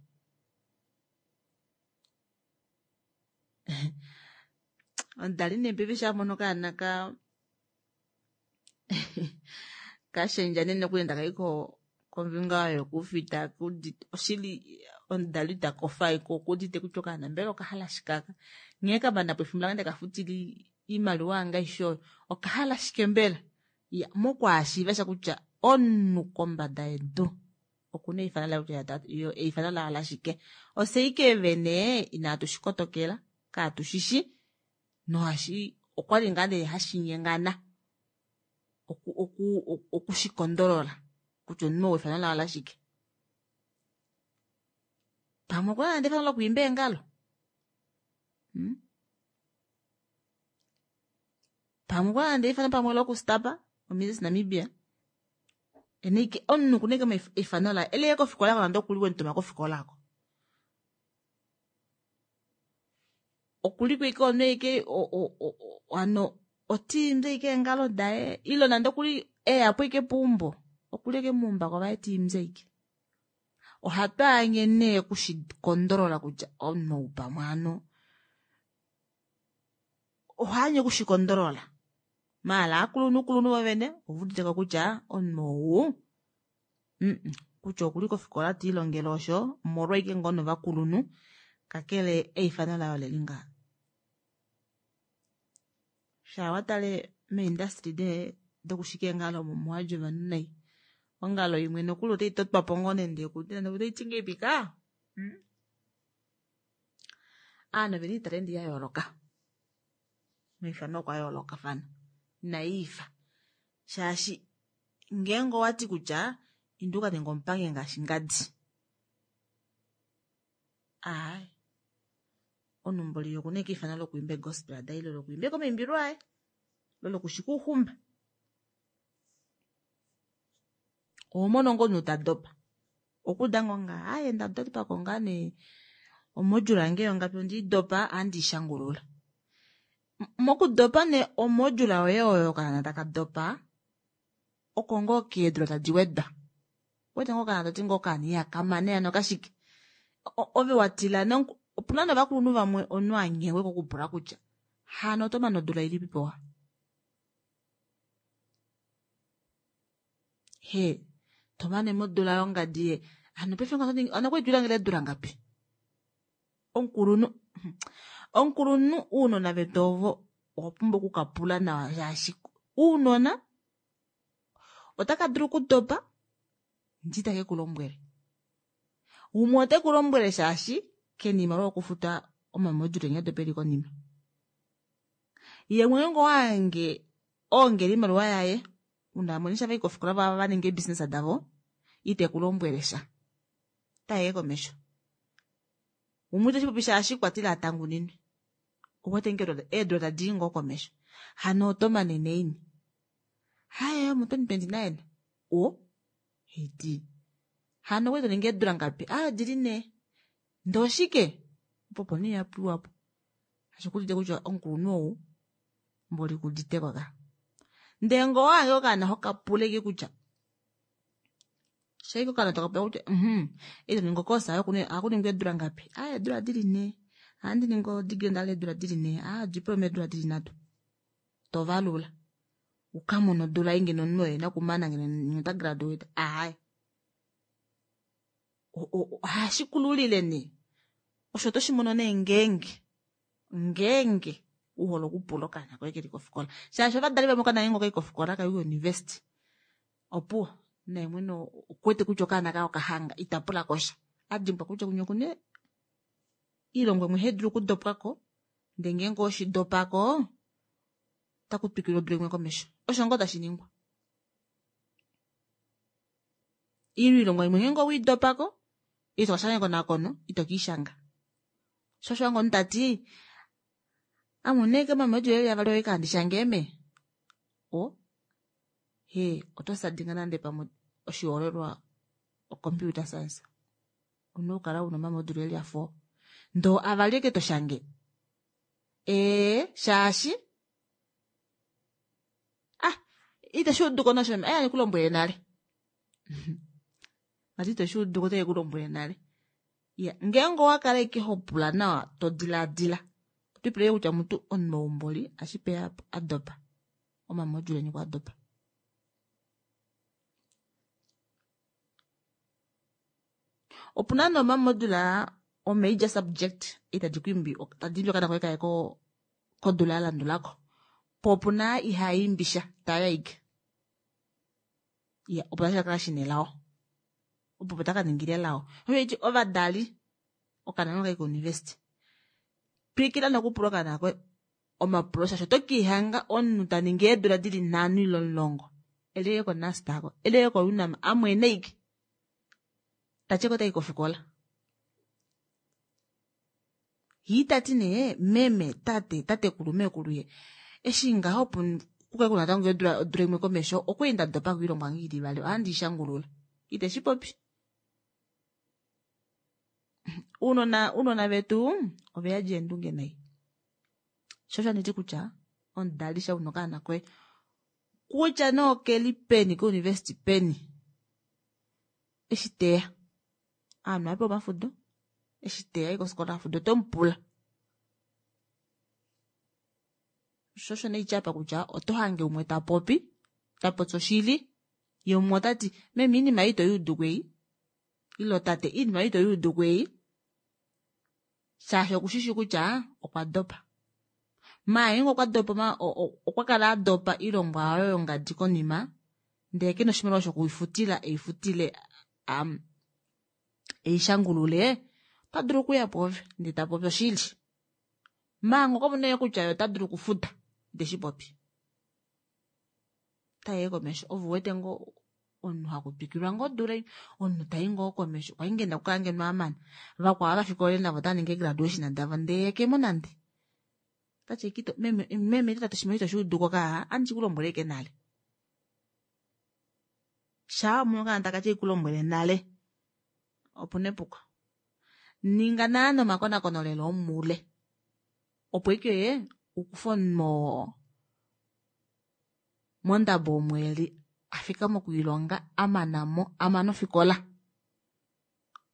Omudali nee paife eshi amono okaana ka kashendja nee nokuli taka i kombinga oyo yokoufita oshili omudali ita kofa ashike okuudite kutya okaana mbela okahala shike aka. Nghee kamanapo efimbo lange ndekafutila oimaliwa yange aishe oyo okahala shike mbela. Iya, mokwaashiiva sha kutya omunhu kombada yedu okuna eifano laye kutya eifano laye olashike. Ofye ashike vene inatu shikotokela katushishi nohashi okwali ngaa nee hashi nyengana oku oku okushikondolola kutya omunhu ou efano laye olashike. Pamwe okuna nande efano lokwiimba eengalo. Hmm? Pamwe okuna nande efano pamwe lokustapa oMrs Namibia. Ene omunhu okuna ashike efano laye eleye kofikola nande okuli wemutuma kofikola ako. Okuliko ashike omunhu ashike hano otiimbi ashike eengalo daye ile nande okuli eyapo ashike peumbo okuli ashike muumbako vaye tiimbi ashike. Ohatu anye nee okushikondolola kutya omunhu ou pamwe hano ohaanye okushikondolola. Maala aakulunhu kulunhu vovene ovuuditeko kutya omunhu ou kutya okuli kofikola tiilongele osho omolwa ashike ngoo novakulunhu kakele eifano laye oleli ngaha. Shaa watale meindustry dokushika eengalo omo omuhadji ovanhu nai. Ongalo imwe nokuli otai totwapo ngoo nande otaiti ngahelipi ka. Ovanhu ovena oitalenti ya yooloka. Omaifano okwa yoolokafana. Inaiifa. Shaashi ngeenge owati kutya inda uka ninge omupangi ngaashi ngadi. Aaye. Omunhu mboli okuna ashike eifano lokwiimba egospel daye ile lokwiimba ashike omaimbilo aye. Lo lokushika ouxumba. Oho mono ngoo omunhu ta dopa. Okuuda ngoo nga aaye ndadopako ngaa nee omodule yange yongapi ondiidopa ohandi ishangulula. Mokudopa nee omodule yoye oyo okaana taka dopa oko ngoo keedula tadi wedwa. Wete ngoo okaana toti ngoo okaana ihakamane hano kashike. Ove watila opuna novakulunhu vamwe omunhu anyengwe kokupula kutya hano oto mane odula ilipipo wa. He, tomane modula yongadi ye. Hano paife hano okwali twiilongela eedula ngapi? Omukulunhu omukulunhu uunona vetu ovo owa pumbwa okukapula nawa shaashi uunona otaka dulu okudopa ndi take ku lombwele. Umwe ote ku lombwele shaashi kena iimaliwa yokufuta omamodule nghee dopeli konima. Ye mwene ngo wange oongele iimaliwa yaye una mwene shava kofikola va va ninga eebusiness davo ite ku lombwele sha. Taye komesho. Umwe iteshi popi shaashi kwatile atanguninwe. Owete nge eedula tadi i ngoo komesho. Hano oto manene ini. Haye mu twenty twenty nine. O hedi. Hano okwali toningi eedula ngapi? Ah, dili ne. Ndee oshike? Opo nee yapiwapo. Ashi kulite kutya omukulunhu ou mboli kuditeko ka. Ndee ngoo wange okaana hokapuleke kutya shaike okaana tokapula kutya mhm ito ningi okosa ohakuningwa eedula ngapi? Ah, eedula dili ne. Ohandi ningi odegree ndala eedula dili ne. Ah, diploma eedula dili nhatu. Tovalula. Ukamona odula ei ngeno omunhu oye nakumana ngeno ota graduate. Aai. Ohashi kululile nee. Osho oto shi mono nee ngeenge ngeenge uhole okupula okaana koye keli kofikola. Shaashi ovadali vamwe okaana ngeenge okai kofikola kai kouniversity. Opuwo naye mwene okuwete kutya okaana kaye okahanga ita pula kosha. Adimbwa kutya kunya okuna iilongo imwe ihaidulu okudopwako ndee ngeenge oweshidopako otaku twikilwa odula imwe komesho. Osho ngoo tashi ningwa. Iilongo imwe ngeenge oweidopako ito kashanga ekonakono ito kiishanga. Sho osho wange omunhu tati ame unene mamodule eli avali oye kandi shange eme. O he oto sadinga nande pamwe oshihoolelwa o computer science. Una okukala una omamodule eli a four. Ndoo avali eke toshange. Ee shaashi ah iteshi uduko nosho eh ndikulombwele nale. Vati iteshi uduko ote kulombwele nale. Ya ngeenge owakala ashike hopula nawa to dilaadila otwiipule kutya mutu omunhu ashipe adopa omamodule eni okwa dopa. Opuna nee omamodule o major subject itadi ku imbi tadi imbi okaana koye kaye kodula ya landulako. Po opuna ihaimbi sha tayi ashike. Ya opo tashi kakala shina elao. Opo taka ningila elao. Osho ovadali okaana nokai kouniversity. Twikila nokupula okaana koye omapulo shaashi oto kiihanga omunhu taningi eedula dili nhano ile omulongo eleke koNUST ako eleke koUNAM amwene ashike tatyeko otayi kofikola. Yee tati nee meme tate tatekulu meekulu ye eshi ngaho opo kukale kuna natango eedula odula imwe komesho okwali ndadopa koilongwa yange ili ivali ohandi ishangulula. Iteshi popi. Uunona uunona vetu oveyadi eendunge nai. Sho osho handiti kutya omudali sha una okaana koye kutya nee okeli peni kouniversity peni eshi teya ovanhu ohapewa omafudo eshi teya ayi kofikola afuda oto mupula. Sho osho nee apa kutya oto hange umwe tapopi tapopi oshili ye umwe otati meme iinima ei ito yuuduko ei ile tate iinima ei ito yuuduko ei shaashi okushishi kutya okwa dopa. Maala ngeenge okwa dopa okwa kala adopa oilongwa oyo yongadi konima ndee kena oshimaliwa shokuifutila eifutile um, eishangulule ota dulu okuya pwoove ndee tapopi oshili. Manga okwa mona kutya ye ota dulu okufuta iteshi popi. Otayi komesho ove uwete ngoo omunhu hakutwikilwa ngoo odula omunhu tai ngoo komesho kwali ngeno okukala ngeno amana. Vakwao vafikole navo otava ningi graduation davo ndee kemo nande. Otati ashike meme meme tate oshimaliwa ito shuuduko kaa andi shikulombwele ashike nale. Shaa wamono okaana takati ekulombwele nale opuna epuko. Ninga naana omakonakono lela omoule opo ashike ukufe omunhu mondabo omo eli afika mokwiilonga amanamo amana ofikola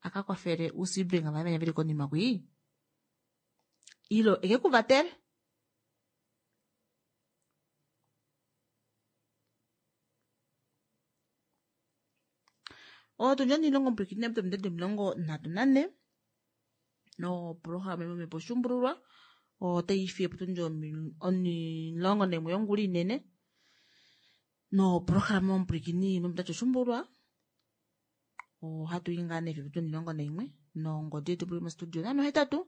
aka kwafele ousibling vaye venya veli konima kwii ile ekekuvatele. Otundi onimulongo pwiikine pominute omilongo nhatu nanhe Noprograma yomomhepo oshuumbululwa otayi fiye potundi omulongo naimwe yongula inene. Noprograma yomupwilikini momutati oshuumbululwa ohatu i ngaa nee fiyo potundi omulongo naimwe nongodi yetu puli mostudio nano hetatu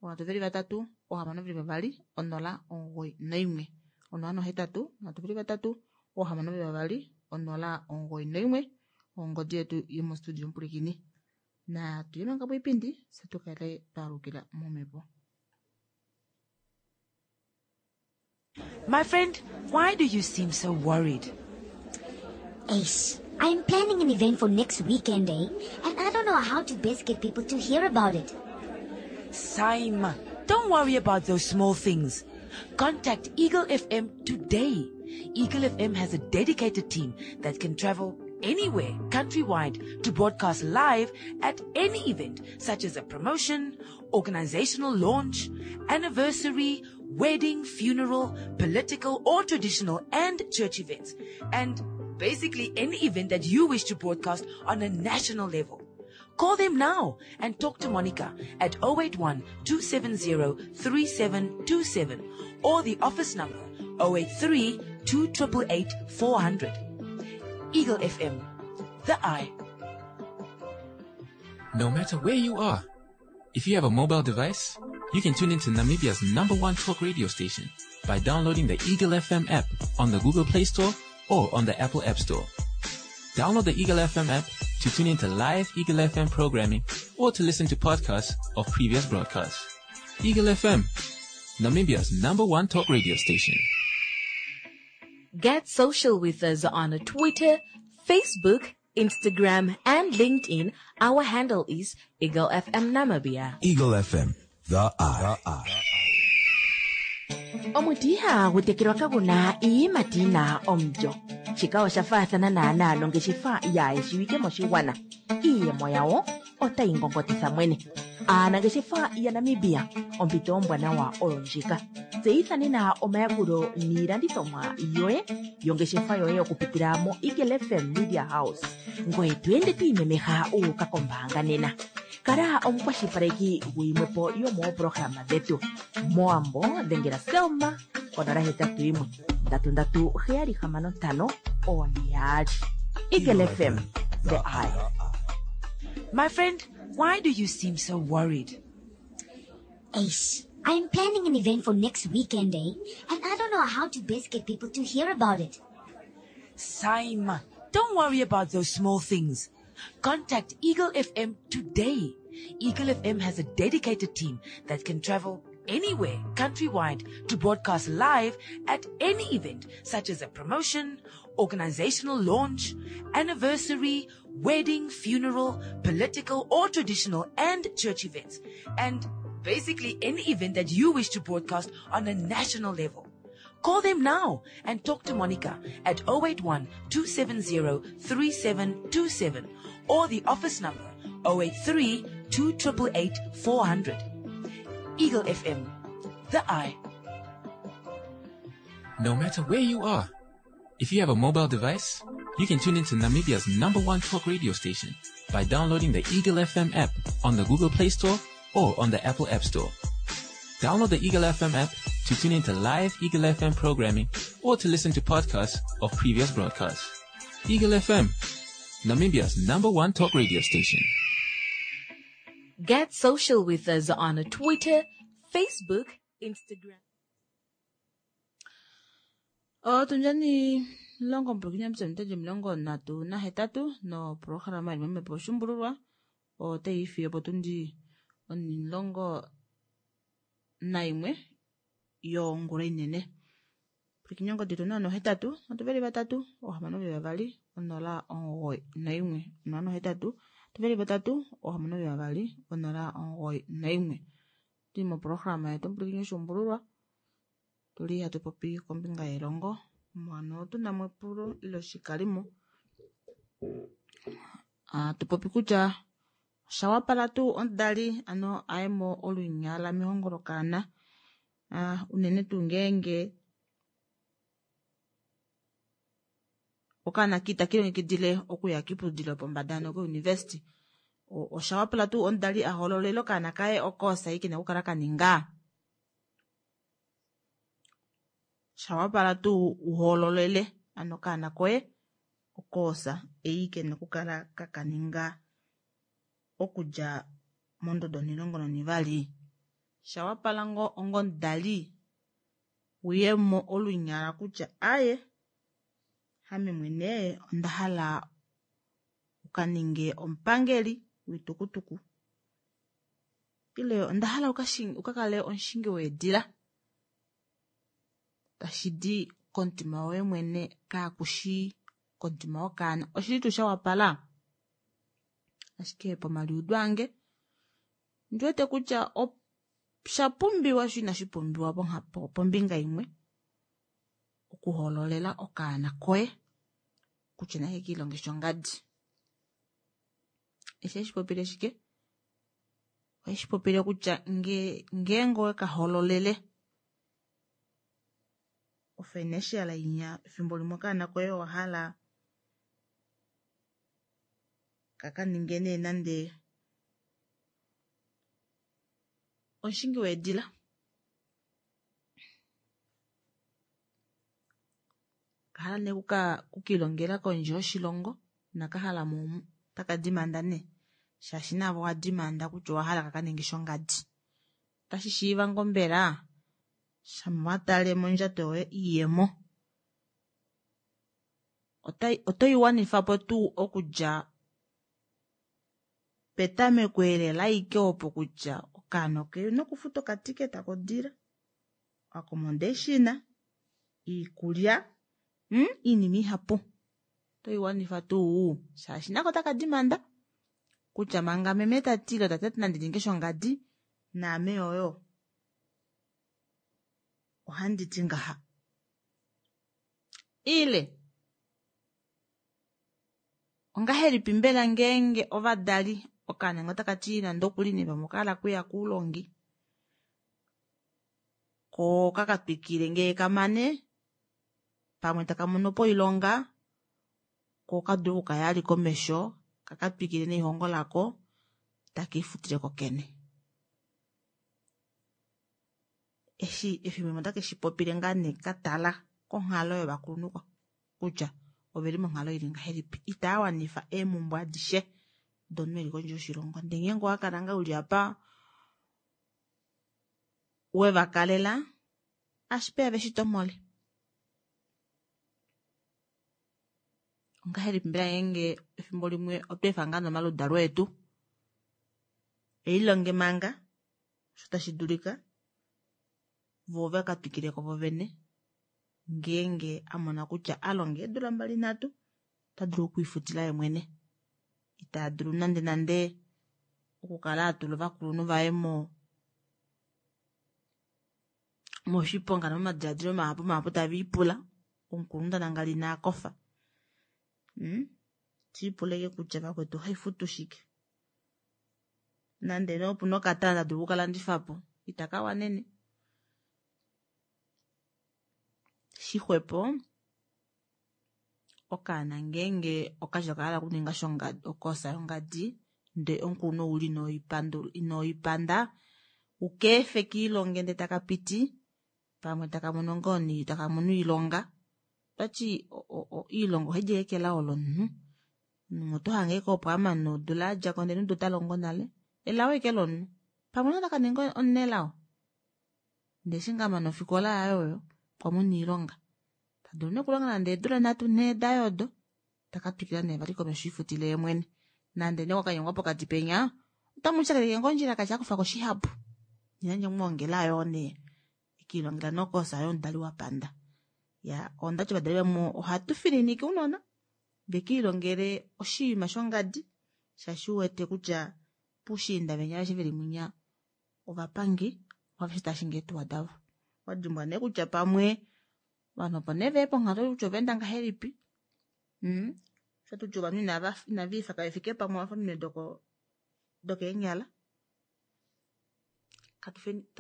ohantu veli vatatu ohamano veli vavali onola omugoyi naimwe onola nohetatu ohantu veli vatatu ohamano veli vavali onola omugoyi naimwe ongodi yetu yomostudio omupwilikini. Na tuye manga poipindi fye tukale twalukila momhepo. My friend, why do you seem so worried? Ace, I'm planning an event for next weekend, eh? And I don't know how to best get people to hear about it. Saima, don't worry about those small things. Contact Eagle F M today. Eagle F M has a dedicated team that can travel anywhere countrywide to broadcast live at any event such as a promotion, organizational launch, anniversary, wedding, funeral, political or traditional and church events, and basically any event that you wish to broadcast on a national level. Call them now and talk to Monica at oh eight one, two seven zero, three seven two seven or the office number oh eight three, two triple eight, four hundred. Eagle F M, the eye. No matter where you are, if you have a mobile device, you can tune into Namibia's number one talk radio station by downloading the Eagle F M app on the Google Play Store or on the Apple App Store. Download the Eagle F M app to tune into live Eagle F M programming or to listen to podcasts of previous broadcasts. Eagle F M, Namibia's number one talk radio station. Get social with us on Twitter, Facebook, Instagram, and LinkedIn. Our handle is Eagle F M Namibia. Eagle F M, the eye. The eye. Omuti ihagu tekelwa kaguna iiyimati yina omulyo. Shika osha faathana naanaa nongeshefa yaayeshiwike moshigwana. Iiyemo yawo otayi ngongotitha mwene. Aanangeshefa yaNamibia, ompito ombwanawa oyo ndjika. Tseyitha nena omayakulo niilandithomwa yoye yongeshefa yoye okupitila mo Eagle F M Media House. Ngoye to ende to imemeha u uka kombaanga nena. Kala omukwashilipaleki guyimwepo yomooprograma dhetu. Moambo dhengela Selma konola hetatu yimwe ndatu ndatu heyali hamano ntano one yaali. Eagle F M, the eye. My friend, why do you seem so worried? Ace, I'm planning an event for next weekend, eh? And I don't know how to best get people to hear about it. Saima, don't worry about those small things. Contact Eagle F M today. Eagle F M has a dedicated team that can travel anywhere countrywide to broadcast live at any event such as a promotion, organizational launch, anniversary, wedding, funeral, political or traditional and church events, and basically any event that you wish to broadcast on a national level. Call them now and talk to Monica at oh eight one, two seven zero, three seven two seven or the office number oh eight three, two triple eight, four hundred. Eagle F M, the eye. No matter where you are, if you have a mobile device, you can tune into Namibia's number one talk radio station by downloading the Eagle F M app on the Google Play Store or on the Apple App Store. Download the Eagle F M app to tune into live Eagle F M programming or to listen to podcasts of previous broadcasts. Eagle F M, Namibia's number one talk radio station. Get social with us on Twitter, Facebook, Instagram. Otundjani longo mpulukini msemteji mlongo natu na hetatu no programa imemepo shumbululwa otayi fiyo potundi onilongo naimwe yongula inene. Pulukini ongodhi na nohetatu otuveli vatatu ohamano veli vavali onola omugoyi naimwe onola nohetatu tuveli vatatu ohamano veli vavali onola omugoyi naimwe. Tuli moprograma yetu mpulukini oshumbululwa tuli hatu popi kombinga yelongo mwano otuna mo epulo ile oshikalimo. Ah, tupopi kutya oshawapala tuu omudali ano aye mo olunyala mehongo lokaana. Ah, unene tuu ngeenge okaana kita kilongekidile okuya kiiputudhilo yopombanda ano kouniversity. Oshawapala tuu omudali a hoololele okaana kaye okoosa ei kena okukala kaninga? Shawapala tuu uhoololele ano okaana koye okoosa ei kena okukala kakaninga okudja mondodo onhilongo nonivali? Shawapala ngoo onga omudali uyemo olunyala kutya aaye ame mwene onda hala ukaninge omupangeli woitukutuku ile onda hala ukakale omushingi weedila tashidi komutima woye mwene kakushi komutima wokaana. Oshili tuu shawapala? Ashike pomaliudo ange ndiwete kutya oshapumbiwa sho inashi pumbiwa pombinga imwe okuhoololela okaana koye kutya nake kiilonge shongadi. Eshi eshi popile shike? Oheshi popile kutya ngeenge owekahoololele ofinancial inya efimbo limwe okaana koye owahala kakaninge nee nande omushingi weedila, okahala nee okukiilongela kondje yoshilongo inakahala mo omu otaka dimanda nee shaashi naave owa dimanda kutya owahala kakaninge shongadi. Otashi shiiva ngoo mbela shama watale mondjato yoye iiyemo otoiwanifapo tuu okudja petameko elela ashike opo kutya okaana okena okufuta okatiketi kodila, accommodation, iikulya, iinima ihapu otoiwanifa tuu shaashi nako otaka dimanda kutya manga meme tati ile tate tati nandi ninge shongadi naame oyo ohanditi ngaha. Ile ongahelipi mbela ngeenge ovadali okaana otakati nande okuli nee pamwe okahala okuya koulongi koo okakatwikile ngee kamane pamwe taka mono po oilonga koo okadule okukaya vali komesho kakatwikile nelihongo lako takiifutile kokene. Eshi efimbo limwe otake shipopile ngaa nee katala konghalo yovakulunhu kutya oveli monghalo ili ngahelipi, itaa wanifa eemumbwe adishe domunhu eli kondje yoshilongo. Ndee ngeenge owakala ngaa uli apa wevakalela ashipeya veshitomhole. Ongahelipi mbela ngeenge efimbo limwe otweefa ngaa nomaludalo etu elilonge manga osho tashi dulika voo vakatwikileko vovene ngeenge amona kutya alonga eedula mbali nhatu ota dulu okwiifutila yemwene ita dulu nande nande okukala atula ovakulunhu vaye mo moshiponga nomomadiladilo mahapu mahapu taviipula omukulunhu tanangala ina kofa. Tiipula ashike kutya vakwetu ohaifutu shike nande nee opuna okatana tadulu okukalandifapo itakawanene. Shixwepo okaana ngeenge okati okahala okuninga okoosa yongadi ndee omukulunhu ouli inoipanda ukeefe kiilonge ndee takapiti pamwe takamono ngoo takamono oilonga. Otati oilonga ohaidi ashike kelao lomunhu, omunhu otohange ashike opo amane odula yadjako ndee neudo otalongo nale, elao ashike lomunhu pamwe otakaninga omunelao ndee eshi ngaa amana ofikola yaye oyo okwamona oilonga tadulu nee okulonga nande eedula nhatu nhee daye odo takatwikila nee vali komesho ifutile yeemwene nande nee wakanyengwa pokati penya otamushakeneke ngoo ondjila kashi akufako shihapu nena mwoongela yoo nee ekiilongela nokoosa yomudali wapanda. Ya ondati ovadali vamwe ohatu fininike ounona vekiilongele oshinima shongadi shaashi uwete kutya puushiinda venya aveshe veli munya ovapangi aveshe taashingi eetuwa davo. Wadimbwa nee kutya pamwe ovanhu opo nee veya ponghalo kutya ovaenda ngahelipi, oshatutya ovanhu inaviifa kavefike pamwe ovafa ominwe dokeenyala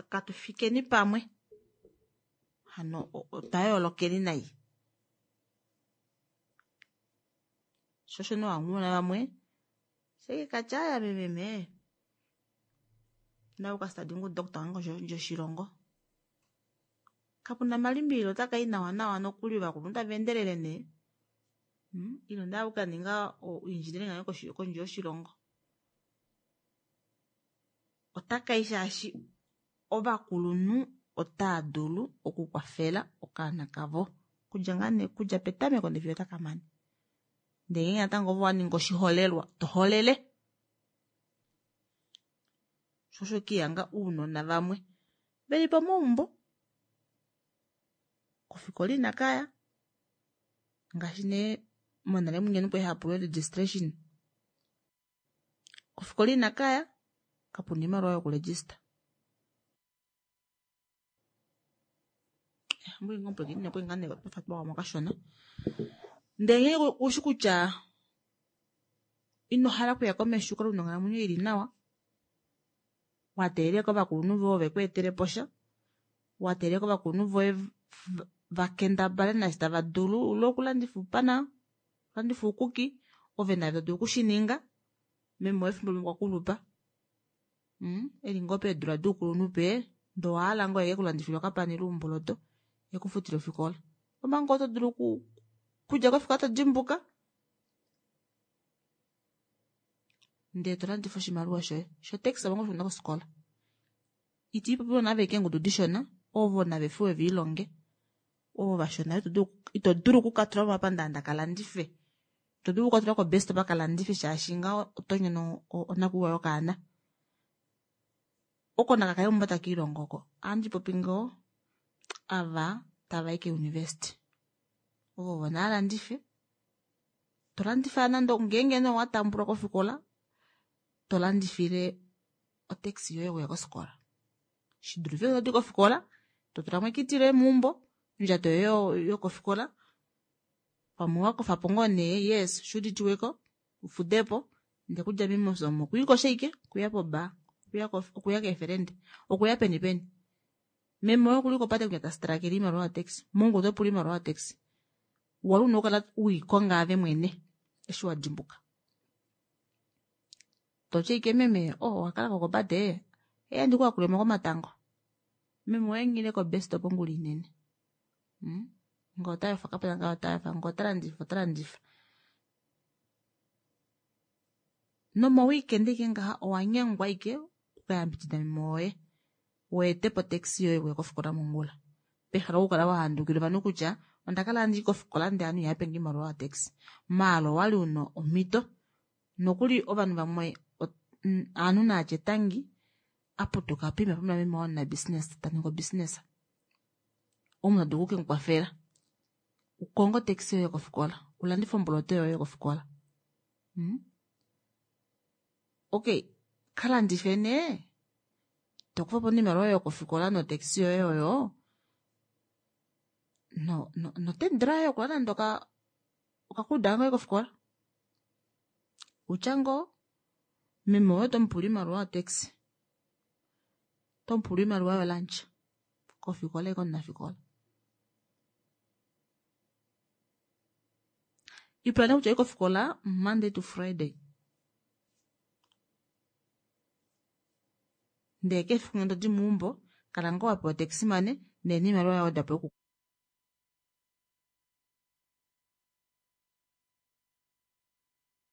katufikeni pamwe hano otwa yoolokeni nai. Sho osho nee wamona vamwe Sheke kachaya mememe. Na ukastadi ngu doctor wangu njoshilongo. Kapuna malimbililo otaka i nawa nawa nokuli ovakulunhu tava endelele nee. Hmm? Ile onda ukaninga engineering ngayo kondje yoshilongo. Otaka i shaashi ovakulunhu otaa dulu okukwafela okaana kavo. Kudja ngaa nee kudja petameko ndee fiyo otaka mane. Ndee ngeenge natango ove owa ninga oshiholelwa toholele. Sho osho kihanga ounona vamwe veli pomaumbo kofikola inakaya ngaashi nee monale mwinya kwali hapulwa registration kofikola inakaya kapuna oimaliwa yokuregista. Ndee ngenge ushi kutya ino hala okuya komesho ukale una onghalamwenyo ili nawa, wateelela kovakulunhu voye veku etelepo sha, wateelela kovakulunhu voye vakendabale naashi tava dulu ile okulandifa oupana, okulandifa oukuki, ove nave todulu okushininga meme woye efimbo limwe okwa kulupa eli ngoo peedula doukulunhu pee ndee owahala ngoo eke kulandifile okapana ile oumboloto ekufutile ofikola. Omanga oto dulu kudja kofikola todimbuka ndee tolandifa oshimaliwa shoye shotaxi omango shuna kofikola. Iti popi nave keengudu dishona ovo nave fiwe viilonge ovo vashona ito dulu okukatula momapandaanda kalandife, ito dulu okukatula kobest kalandife shaashi ngaho oto nyono onakuiwa yokaana. Oko nakakale mumba takiilongo oko ohandi popi ngoo ava tavai keuniversity ovo vo naalandife tolandifa nande ngeenge nee owatambulwa kofikola tolandifile otaxi yoye okuya kofikola shidulife todi kofikola totulamo ekiti loye meumbo ondjato yoye yokofikola pamwe wakofapo ngoo nee yes shuuditiweko ufudepo ndee kudja mimosa omo okwiikosha ashike okuya pobar okuya keefelende okuya peni peni meme woye okuli kopate kutya tastrakele oimaliwa yotaxi mongula otopula oimaliwa yotaxi wali una okukala uikonga ave mwene eshi wadimbuka toti ashike meme oh owakalako kopate eya ndikuyakulemo komatango meme woye nghile kobestop ongula inene hmm? Ngee otayofa kapena ngee otayofa ngee otalandifa otalandifa nomoweekend ashike ngaha owanyengwa ashike okukayambidida meme woye weetepo otaxi yoye okuya kofikola mongula pehala okukala wahandukila ovanhu kutya ondakala handi kofikola ndee ovanhu ihapenge oimaliwa yotaxi maala owali una omhito nokuli ovanhu vamwe ovanhu naatye tangi aputuka poima puna meme waye omunabusiness taningi obusiness omunhu tadulu okukemukwafela ukonge otaxi yoye kofikola ulandife omboloto yoye kofikola hmm? Okay kalandife nee tokufapo oimaliwa yoye yokofikola notaxi yoye oyo no no notendra yoye yokulanda nande okakuda ngoye kofikola utya ngoo meme woye otomupula oimaliwa yotaxi otomupula oimaliwa yolunch kofikola eke omunafikola ipula nee kutya oyi kofikola Monday to Friday ndee kefiku ngee todi meumbo kala ngoo wapewa otaxi money ndee noimaliwa yawedwapo yoku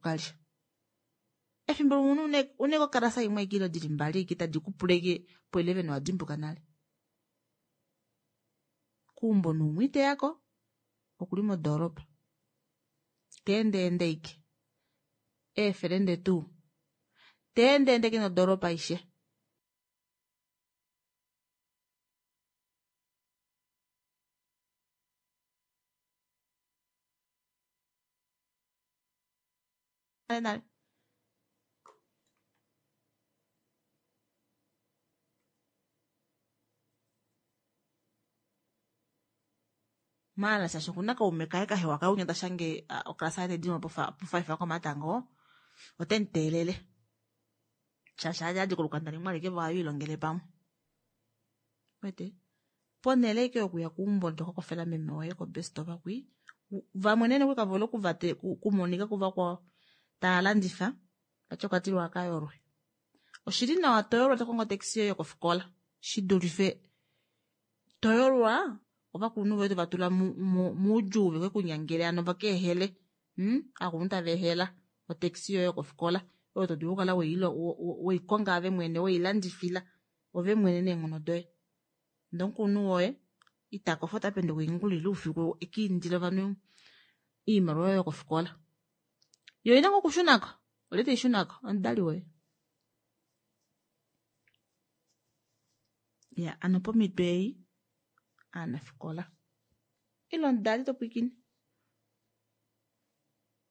kalya efimbo limwe une kokalasa imwe ashike ile dili mbali ashike tadi kupula ashike po eleven owadimbuka nale keumbo neumwe iteyako okuli modoropa teendeende ashike eefelende tuu teendeende ashike nodoropa aishe nale maala shaashi okuna kaume kaye kahewa kaye unya tashange okalasa yaye taidimo po five komatango otemuteelele shaashi adi kolukanda limwe alike vo ohava pamwe wete ponhele ashike yokuya keumbo tokakofela meme woye kobestop kwi vamwe nee nokuli kavole okumonika kuvakwao tava landifa Vati okwa tilwa aka yolwe. Oshili nawa to yolwa to kongo otaxi yoye yokofikola shi dulife to yolwa ovakulunhu voye tova tula moudjuu veke kunyangele hano vaka ehele. Hmm? Aakulunhu tava ehela otaxi yoye yokofikola oyo to dulu okukala weikonga ove mwene weilandifila ove mwene neenghono doye. Ndee omukulunhu woye ita kofa ota penduka oingulu ile oufiku eka indile ovanhu oimaliwa yoye yokofikola. Yo oina ngoo okushunako, olye teishunako? Omudali woye. Ya, ano pomhito ei aanafikola ile omudali to pwiikine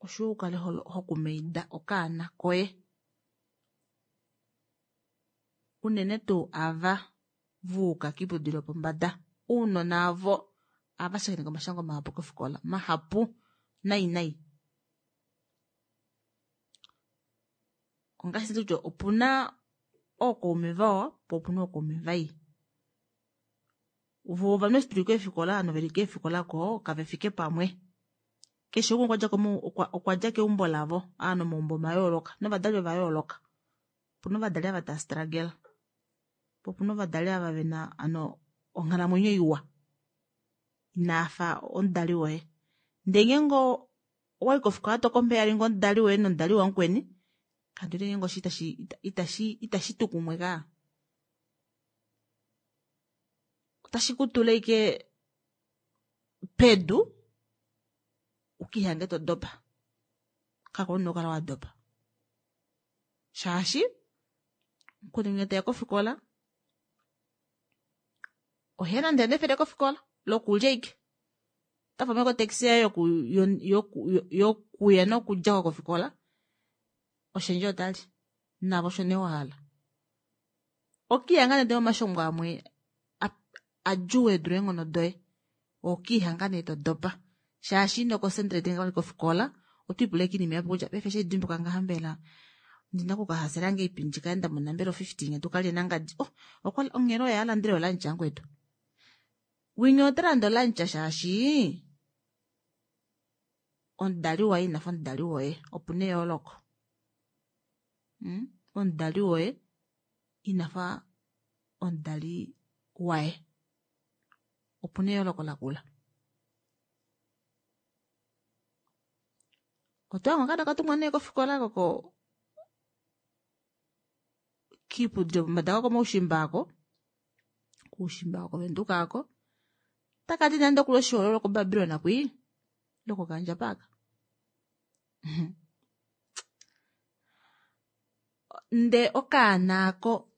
oshiwa ukale hokumaida okaana koye unene tuu ava vuuka kiiputudilo yopombada. Ounona avo ava shakeneka omashango mahapu kofikola, mahapu nai nai. Ongaashi kutya opuna ookaume vawa po opuna ookaume vai. Vo ovanhu eshi tuli keefikola ano veli keefikola ko kave fike pamwe. Keshe umwe okwa dja keumbo lavo, aanhu omaumbo mayooloka novadali ova yooloka. Opuna ovadali ava tava struggle, po opuna ovadali ava vena ano onghalamwenyo iwa inaafa omudali woye. Ndee ngeenge owayi kofikola to compare omudali woye nomudali wamukweni, kandiwete ngeenge osho itashi itashi tu kumwe kaa. Otashi ku tula ashike pedu ukiihange to dopa. Kako una okukala wa dopa. Shaashi mukweni nge teya kofikola ohe nande nefele kofikola lokulya ike. Ota fama kotaxi yaye yokuya nokudja kofikola oshendje otali navo osho nee wahala. Okiihanga nande omashongo amwe adjuu e dule eenghono doye. Okiihanga nee to dopa. Shaashi ino concentrate ngoo kofikola otwiipula ashike oinima yapo kutya paife eshi haidimbuka ngaha mbela ndina okukahasela ngahelipi ndikale ndamona mbela ofifty nye tukalye nangadi. Oh, onghelo oye alandele olunch yangwetu. Winya ota landa olunch shaashi omudali waye inafa omudali woye. Opuna eyooloko. Omudali woye inafa omudali waye. Opuna eyooloko lakula. Otwanga okaana katumwa nee kofikola koko kiiputudilo yopombada kako moushimba ako, koushimba ako koVenduka ako, takati nande okuli oshihoololwa koBabilon kwii lokokandja paaka. Ndee okaana ako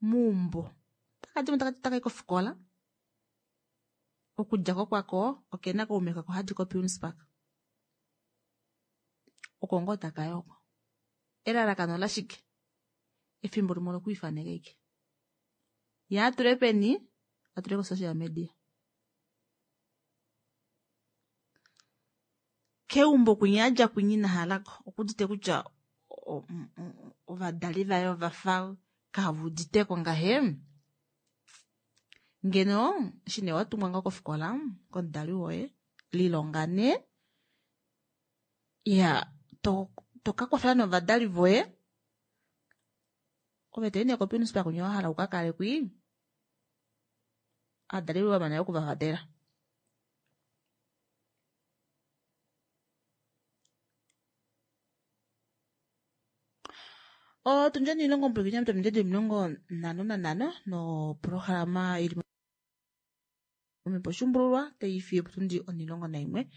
meumbo takadimo takayi kofikola okudjako kwako okena kaume kako hadi koPiuns Park. Oko ngoo takayi oko. Elalakano lashike? Efimbo limwe olokwiifaneka ashike. Ye atule peni? Atule ko-social media. Keumbo kwinya adja kwinya ina halako okuudite kutya ovadali vaye ovafa kaveuditeko ngahe. Ngeno eshi nee watumwa ngoo kofikola komudali woye lilonga nee ya toka kwafela novadali voye ove toyi nee koPiuns Park kwinya wahala ukakale kwii ovadali voye wamana okuvavatela. Otundji omilongo mpwilikini ominute omilongo nhano nanhano noprograma ili momhepo oshuumbululwa taifi otundi omulongo naimwe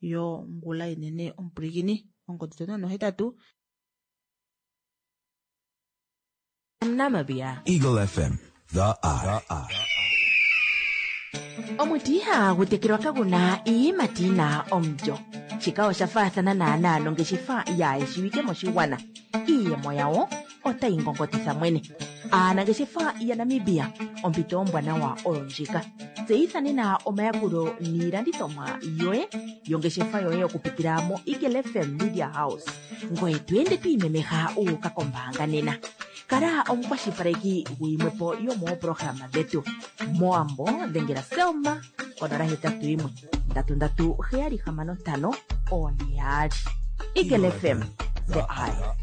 yongula inene omupwilikini ongodi to nono hetatu Namibia. Eagle F M, the eye. Omuti ihagu tekelwa kaguna iiyimati yina omulyo. Shika osha faathana naanaa nongeshefa yaayeshiwike moshigwana. Iiyemo yawo otayi ngongotitha mwene. Aanangeshefa yaNamibia, ompito ombwanawa oyo ndjika. Tseyitha nena omayakulo niilandithomwa yoye yongeshefa yoye okupitila mo Eagle F M Media House. Ngoye to ende to imemeha uuka kombaanga nena. Kala omukwashilipaleki guyimwepo yomooprograma dhetu. Moambo dhengela Selma konola hetatu yimwe ndatu ndatu heyali hamano ntano one yaali. Eagle F M, the eye.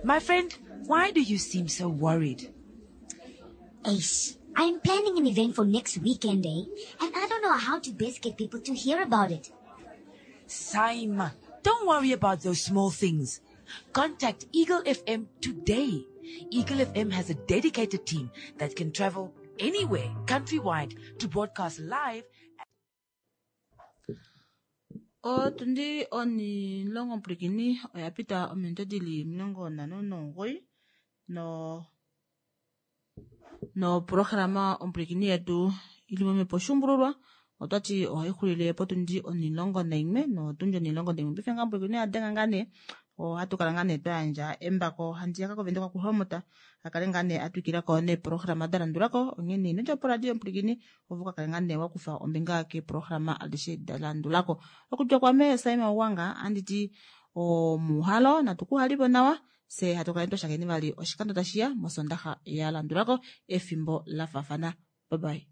My friend, why do you seem so worried? Ace, I'm planning an event for next weekend, eh? And I don't know how to best get people to hear about it. Saima, don't worry about those small things. Contact Eagle F M today. Eagle F M has a dedicated team that can travel anywhere countrywide to broadcast live. Otundi onilongo mpwilikini oya pita ominute dili omilongo nhano nomugoyi no noprograma ompwilikini yetu ili momhepo shumbululwa otwati ohaixulile potundi onilongo naimwe notundi onilongo naimwe paife ngaa mpwilikini oyadenga ngaa nee ohatu kala ngaa nee twayandja embako handiyaka kovenduka kuhomota akale ngaa nee atwikilako neeprograma dalandulako onghene ino djapo radio mpwilikini ovo kakale ngaa nee wakufa ombinga keeprograma adishe dalandulako okudja kwame Saima Wanga anditi omuhalo natukuhalipo nawa se hatu kala twashakeni vali oshikando tashiya mosondaxa ya landulako efimbo lafaafana. Bye bye.